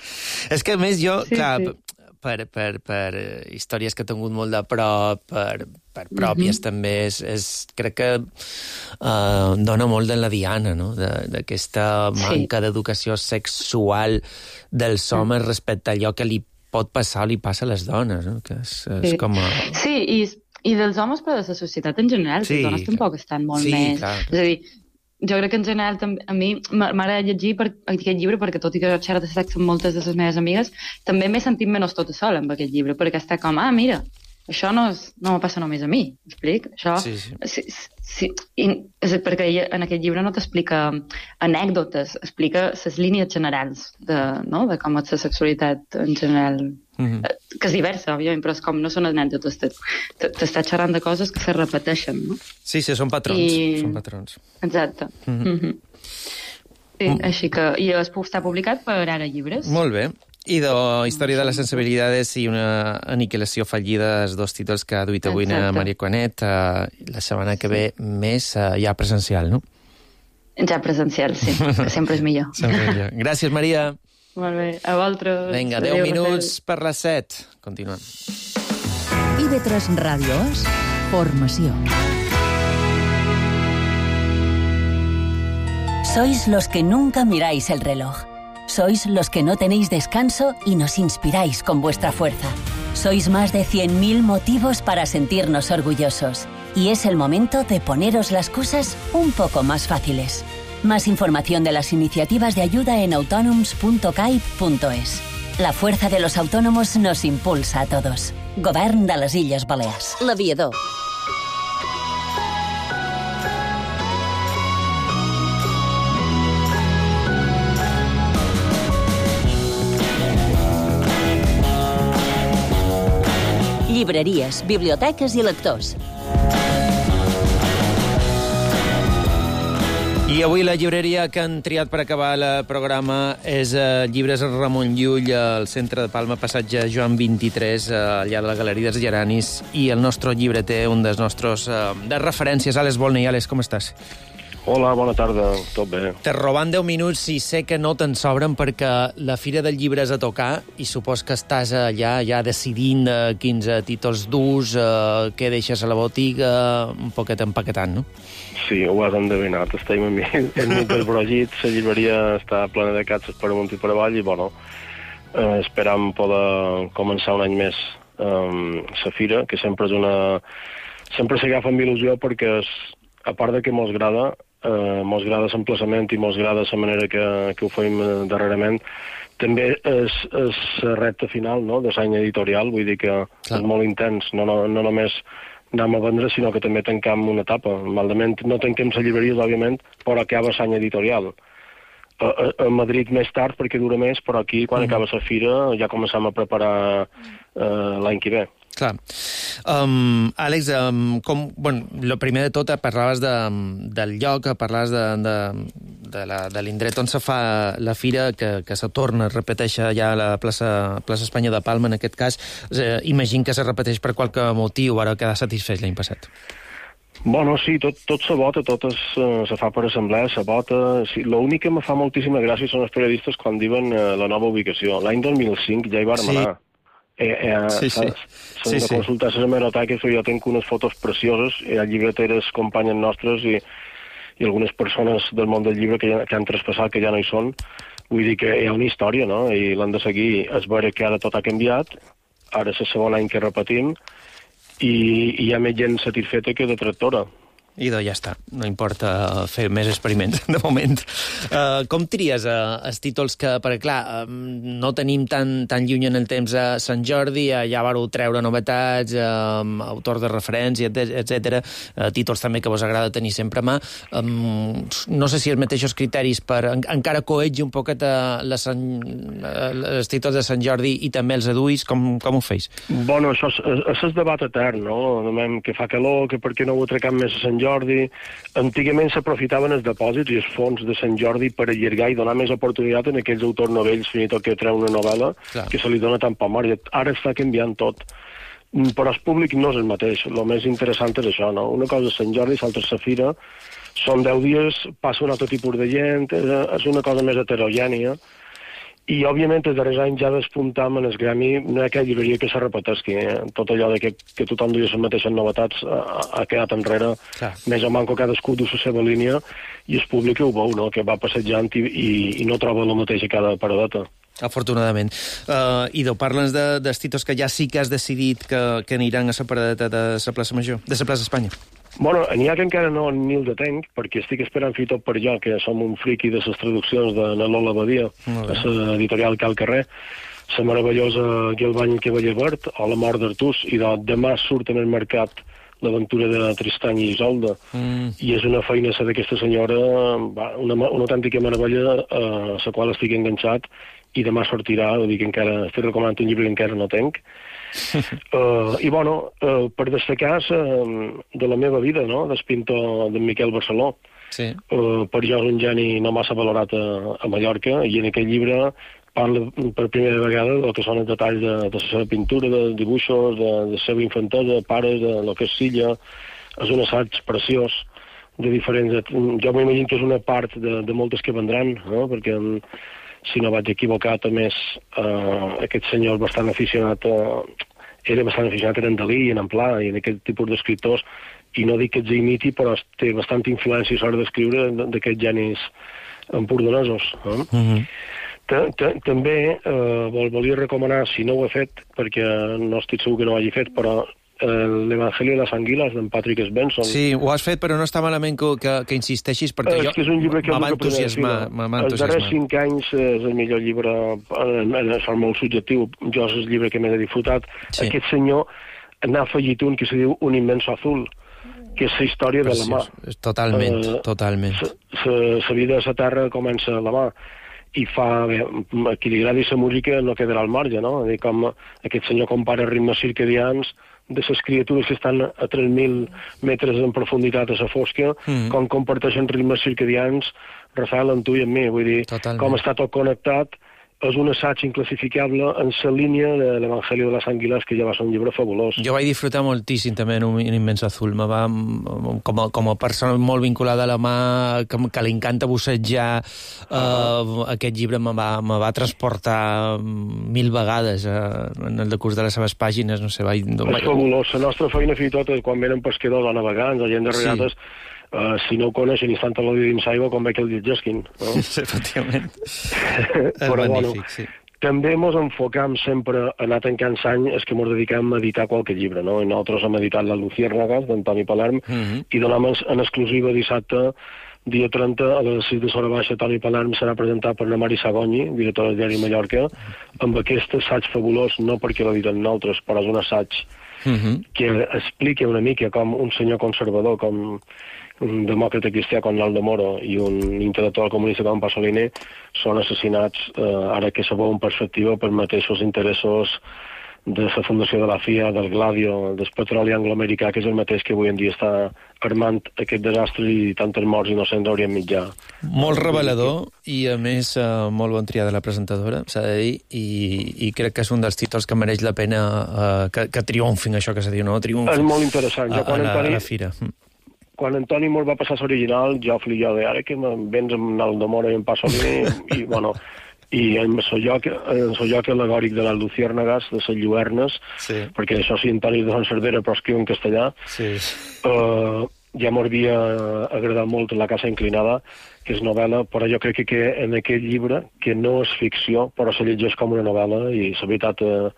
És que, a més, jo, sí, clar, sí. per, per, per històries que he tingut molt de prop, per, per pròpies mm-hmm. també, és, és, crec que uh, dona molt de la diana, no?, d'aquesta manca sí. d'educació sexual dels homes mm. respecte a allò que li pot passar o li passa a les dones, no?, que és, és sí. com a... Sí, i, i dels homes, però de la societat en general, sí, les dones clar. Tampoc estan molt sí, més... Clar. És a dir, jo crec que en general també, a mi m'agrada llegir per aquest llibre perquè tot i que xerro de sexe amb moltes de les meves amigues, també m'he sentit menys tota sola amb aquest llibre, perquè està com, ah, mira, això no, és, no me passa només a mi, m'explic? Això, sí, sí. sí, sí, i, és perquè en aquest llibre no t'explica anècdotes, explica les línies generals de, no? de com és la sexualitat en general, mm-hmm. que és diversa, òbviament, però és com no són anècdotes, t'està xerrant de coses que se repeteixen, no? Sí, sí, són patrons, I... són patrons. Exacte. Mm-hmm. Mm-hmm. Sí, mm. així que... I està publicat per Ara Llibres. Molt bé. I de Història de les sensibilitats i una aniquilació fallida, els dos títols que ha duit avui a Maria Cuanet. Uh, la setmana que ve més uh, ja presencial, no? Ja presencial, sí, que sempre és millor. Sempre millor. Gràcies, Maria. Molt bé, a vosaltres. Vinga, deu minuts per les set. Continuem. I ve tres Ràdios, formació. Sois los que nunca miráis el reloj. Sois los que no tenéis descanso y nos inspiráis con vuestra fuerza. Sois más de cien mil motivos para sentirnos orgullosos. Y es el momento de poneros las cosas un poco más fáciles. Más información de las iniciativas de ayuda en autonoms punto caib punto es. La fuerza de los autónomos nos impulsa a todos. Govern de les Illes Balears. L'Aviador. Llibreries, biblioteques i lectors. I avui la llibreria que han triat per acabar el programa és uh, Llibres Ramon Llull, al centre de Palma, passatge Joan vint-i-tres, uh, allà de la Galeria dels Geranis, i el nostre llibreter, un dels nostres uh, de referències, Àlex Volney. Àlex, com estàs? Hola, bona tarda, tot bé. Te robant deu minuts i sé que no te'n sobren perquè la Fira del Llibre és a tocar i supos que estàs allà ja decidint uh, quins títols durs, uh, què deixes a la botiga, un poquet empaquetant, no? Sí, ho has endevinat. Estem en mig del brogit, la llibreria està plena de catxes per amunt i per avall i, bueno, eh, esperam poder començar un any més um, la fira, que sempre és una... Sempre s'agafa amb il·lusió perquè, és, a part de que mos agrada, eh, mos agrada l'emplaçament i mos agrada la manera que, que ho fem darrerament, també és, és la recta final, no?, de l'any editorial, vull dir que Clar. És molt intens, no, no, no només anem a vendre, sinó que també tancam una etapa. Malament no tanquem les llibreries, òbviament, però acaba l'any editorial. A, a, a Madrid més tard, perquè dura més, però aquí, quan mm. acaba la fira, ja començam a preparar uh, l'any que ve. Clar. Um, Àlex, um, com, bueno, lo primer de tot, parlaves de, del lloc, parlaves de, de, de, la, de l'indret on se fa la fira, que, que se torna, es repeteix ja a la plaça, plaça Espanya de Palma, en aquest cas. Eh, imagino que se repeteix per qualque motiu, ara quedar satisfet l'any passat. Bueno, sí, tot, tot se vota, tot es, uh, se fa per assemblea, se vota... Sí, l'únic que me fa moltíssima gràcia són els periodistes quan diuen uh, la nova ubicació. L'any dos mil cinc ja hi vàrem sí. anar. Eh, eh, sí, sí. S'han sí, de consultar les hemeroteques, jo tinc unes fotos precioses, hi ha llibreteres companyes nostres i, i algunes persones del món del llibre que, ja, que han traspassat, que ja no hi són. Vull dir que hi ha una història, no?, i l'han de seguir. És veure que ara tot ha canviat, ara és el segon any que repetim, i, i hi ha més gent satisfeta que detractora. Idò, ja està. No importa fer més experiments, de moment. Uh, com tries uh, els títols que... Perquè, clar, uh, no tenim tan, tan lluny en el temps a Sant Jordi, uh, ja vareu treure novetats, uh, autors de referència, etcètera. Uh, títols també que vos agrada tenir sempre a mà. Um, no sé si els mateixos criteris per en, encara coetge un poquet uh, la Sant, uh, els títols de Sant Jordi i també els adults, com, com ho feis? Bueno, això és, és el debat etern, no? Que fa calor, que per què no ho atracam més a Sant Jordi. Antigament s'aprofitaven els depòsits i els fons de Sant Jordi per allargar i donar més oportunitat en aquells autors novells, fins i tot que treu una novel·la, clar, que se li dona tan poc marge. Ara està canviant tot. Però el públic no és el mateix. El més interessant és això, no? Una cosa és Sant Jordi, l'altra és la fira. Són deu dies, passa un altre tipus de gent, és una cosa més heterogènia. I, òbviament, els darrers anys ja despuntam en el gremi, no hi ha aquella llibreria que se repetesqui. Eh? Tot allò de que, que tothom duia les mateixes novetats ha, ha quedat enrere. Clar. Més o manco cadascú du la seva línia i el públic ho veu, no? Que va passejant i, i, i no troba el mateix a cada paradeta. Afortunadament. Uh, Ido, parla'ns de, dels títols que ja sí que has decidit que, que aniran a la paradeta de la plaça Major, de la plaça Espanya. Bueno, n'hi ha que encara no ni el detenc, perquè estic esperant fer tot per jo, que som un friqui de les traduccions de Lola Badia, a l'editorial Cal Carrer, la meravellosa Guilbany Cavaller Verd, o La mort d'Artús, i de, demà surt en el mercat l'aventura de Tristany i Isolda, mm. i és una feina d'aquesta senyora, una, una autèntica meravella a la qual estic enganxat, i demà sortirà, vull dir que encara estic recomanant un llibre que encara no tenc. uh, I, bueno, uh, per destacar uh, de la meva vida, no?, del pintor d'en Miquel Barceló. Sí. Uh, per jo és un geni no massa valorat a, a Mallorca, i en aquest llibre parla per primera vegada del que són els detalls de, de la seva pintura, de dibuixos, de, de la seva infantesa, pares, de lo que és Silla. És un assaig preciós de diferents... Jo m'imagino que és una part de, de moltes que vendran, no?, perquè... si no vaig equivocar, també és, uh, aquest senyor bastant aficionat, uh, era bastant aficionat en Dalí i en Amplà i en aquest tipus d'escriptors, i no dic que els imiti, però té bastanta influència a l'hora d'escriure d'aquests genis empordanesos. Eh? Mm-hmm. També uh, volia recomanar, si no ho he fet, perquè no estic segur que no ho hagi fet, però l'Evangelio de les Anguiles, d'en Patrick Svensson. Sí, ho has fet, però no està malament que, que, que insisteixis, perquè és jo que és un llibre que m'ha entusiasmar. Els darrers cinc anys és el millor llibre, en, en forma molt subjectiu, jo és el llibre que més he disfrutat. Sí. Aquest senyor n'ha afegit un que se diu Un inmenso azul, que és la història Preciós. de la mà. Totalment, uh, totalment. La vida de la Terra comença a la mà, i fa, bé, a qui li agradi la música no quedarà al marge, no? Dir, com aquest senyor compara ritmes circadians de les criatures que estan a tres mil metres en profunditat a la fosca, mm. com comparteixen ritmes circadians, Rafael, en tu i en mi, vull dir, Totalment. com està tot connectat. És un assaig inclassificable en la línia de l'Evangelio de les Anguiles, que ja va ser un llibre fabulós. Jo vaig disfrutar moltíssim també en Un immens azul. Me va, com, a, com a persona molt vinculada a la mà, que, que li encanta bussejar, uh, aquest llibre me va, me va transportar mil vegades uh, en el decurs de les seves pàgines. No sé, vaig, és vaig... fabulós. La nostra feina, fins i tot, quan venen pescadors o navegants o gent de regates, sí. Uh, si no ho coneixen i estan a l'odi dins aigua, com veig el lletgesquin. No? Efectivament. Però, magnífic, bueno, sí. També ens enfocam sempre a anar tancant l'any, és que ens dediquem a editar qualque llibre, no? I nosaltres hem editat La Luciérnagas, d'Antoni Palerm, mm-hmm. i donem en exclusiva dissabte, dia trenta, a les sis de l'hora baixa, Toni Palerm serà presentat per la Mari Sagoni, directora del diari Mallorca, amb aquest assaig fabulós, no perquè l'editen nosaltres, però és un assaig mm-hmm. que explica una mica com un senyor conservador, com un demòcrata cristià com l'Aldo Moro i un intel·lectual comunista com Pasolini són assassinats, eh, ara que se veu en perspectiva per mateixos interessos de la fundació de la F I A, del Gladio, del petroli angloamericà, que és el mateix que avui en dia està armant aquest desastre i tantes morts innocents haurien mitjà. Molt revelador i, a més, eh, molt bon triar de la presentadora, s'ha de dir, i, i crec que és un dels títols que mereix la pena eh, que, que triomfin, això que se diu, no? Triomfin. És molt interessant. A, a, la, a la fira. Quan Antoni mos va passar l'original, jo flia de ara que vens amb Aldo Moro i en Pasolini, i, bueno, i en el lloc, en el lloc alegòric de les Luciérnagas, de les Lluernes, sí. perquè això sí, Antoni de Sant Cerdera, però escriu en castellà, sí. uh, ja m'havia agradat molt La casa inclinada, que és novel·la, però jo crec que, que en aquest llibre, que no és ficció, però se llegeix com una novel·la, i la veritat uh,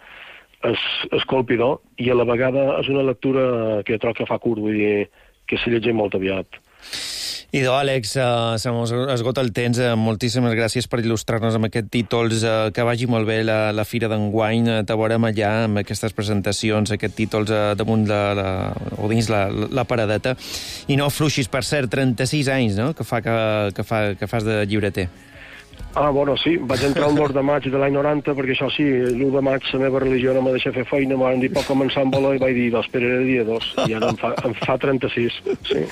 és, és colpidor, i a la vegada és una lectura que trobo que fa curt, vull dir, que se llegeix molt aviat. Idò, Àlex, uh, se mos esgota el temps. Uh, moltíssimes gràcies per il·lustrar-nos amb aquests títols. Uh, que vagi molt bé la, la Fira d'enguany. Uh, te veurem allà amb aquestes presentacions, aquests títols uh, damunt la, la, o dins la, la paradeta. I no fluixis, per cert, trenta-sis anys, no?, que, fa que, que, fa, que fas de llibreter. Ah, bueno, sí, vaig entrar el dos de maig de l'any noranta, perquè això sí, l'u de maig la meva religió no m'ha deixat fer feina, m'han dit pot començar amb valor i vaig dir, esperaré dia dos, i ara em fa, em fa trenta-sis, sí.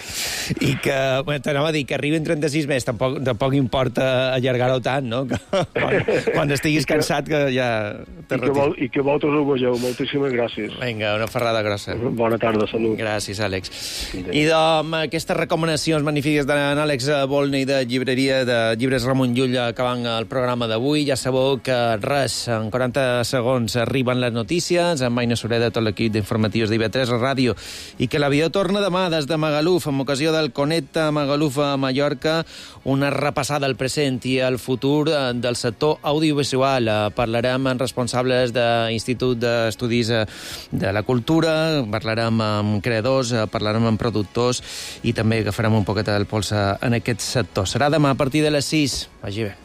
I que, bueno, t'anava a dir que arriben trenta-sis més, tampoc, tampoc importa allargar-ho tant, no? Que, quan, quan estiguis que, cansat que ja te retires. I que, vol, i que vosaltres ho vegeu, moltíssimes gràcies. Vinga, una ferrada grossa. Bona tarda, salut. Gràcies, Àlex. I amb aquestes recomanacions magnífiques d'en Àlex Volney de llibreria de Llibres Ramon Llull acabant el programa d'avui. Ja sabeu que res, en quaranta segons arriben les notícies, amb Aina Sureda, tot l'equip d'informatius d'I V tres Ràdio, i que l'avió torna demà des de Magaluf, amb ocasió del Connecta Magaluf a Mallorca, una repassada al present i al futur del sector audiovisual. Parlarem amb responsables de l'Institut d'Estudis de la Cultura, parlarem amb creadors, parlarem amb productors i també agafarem un poquet el pols en aquest sector. Serà demà a partir de les sis. Vagi bé.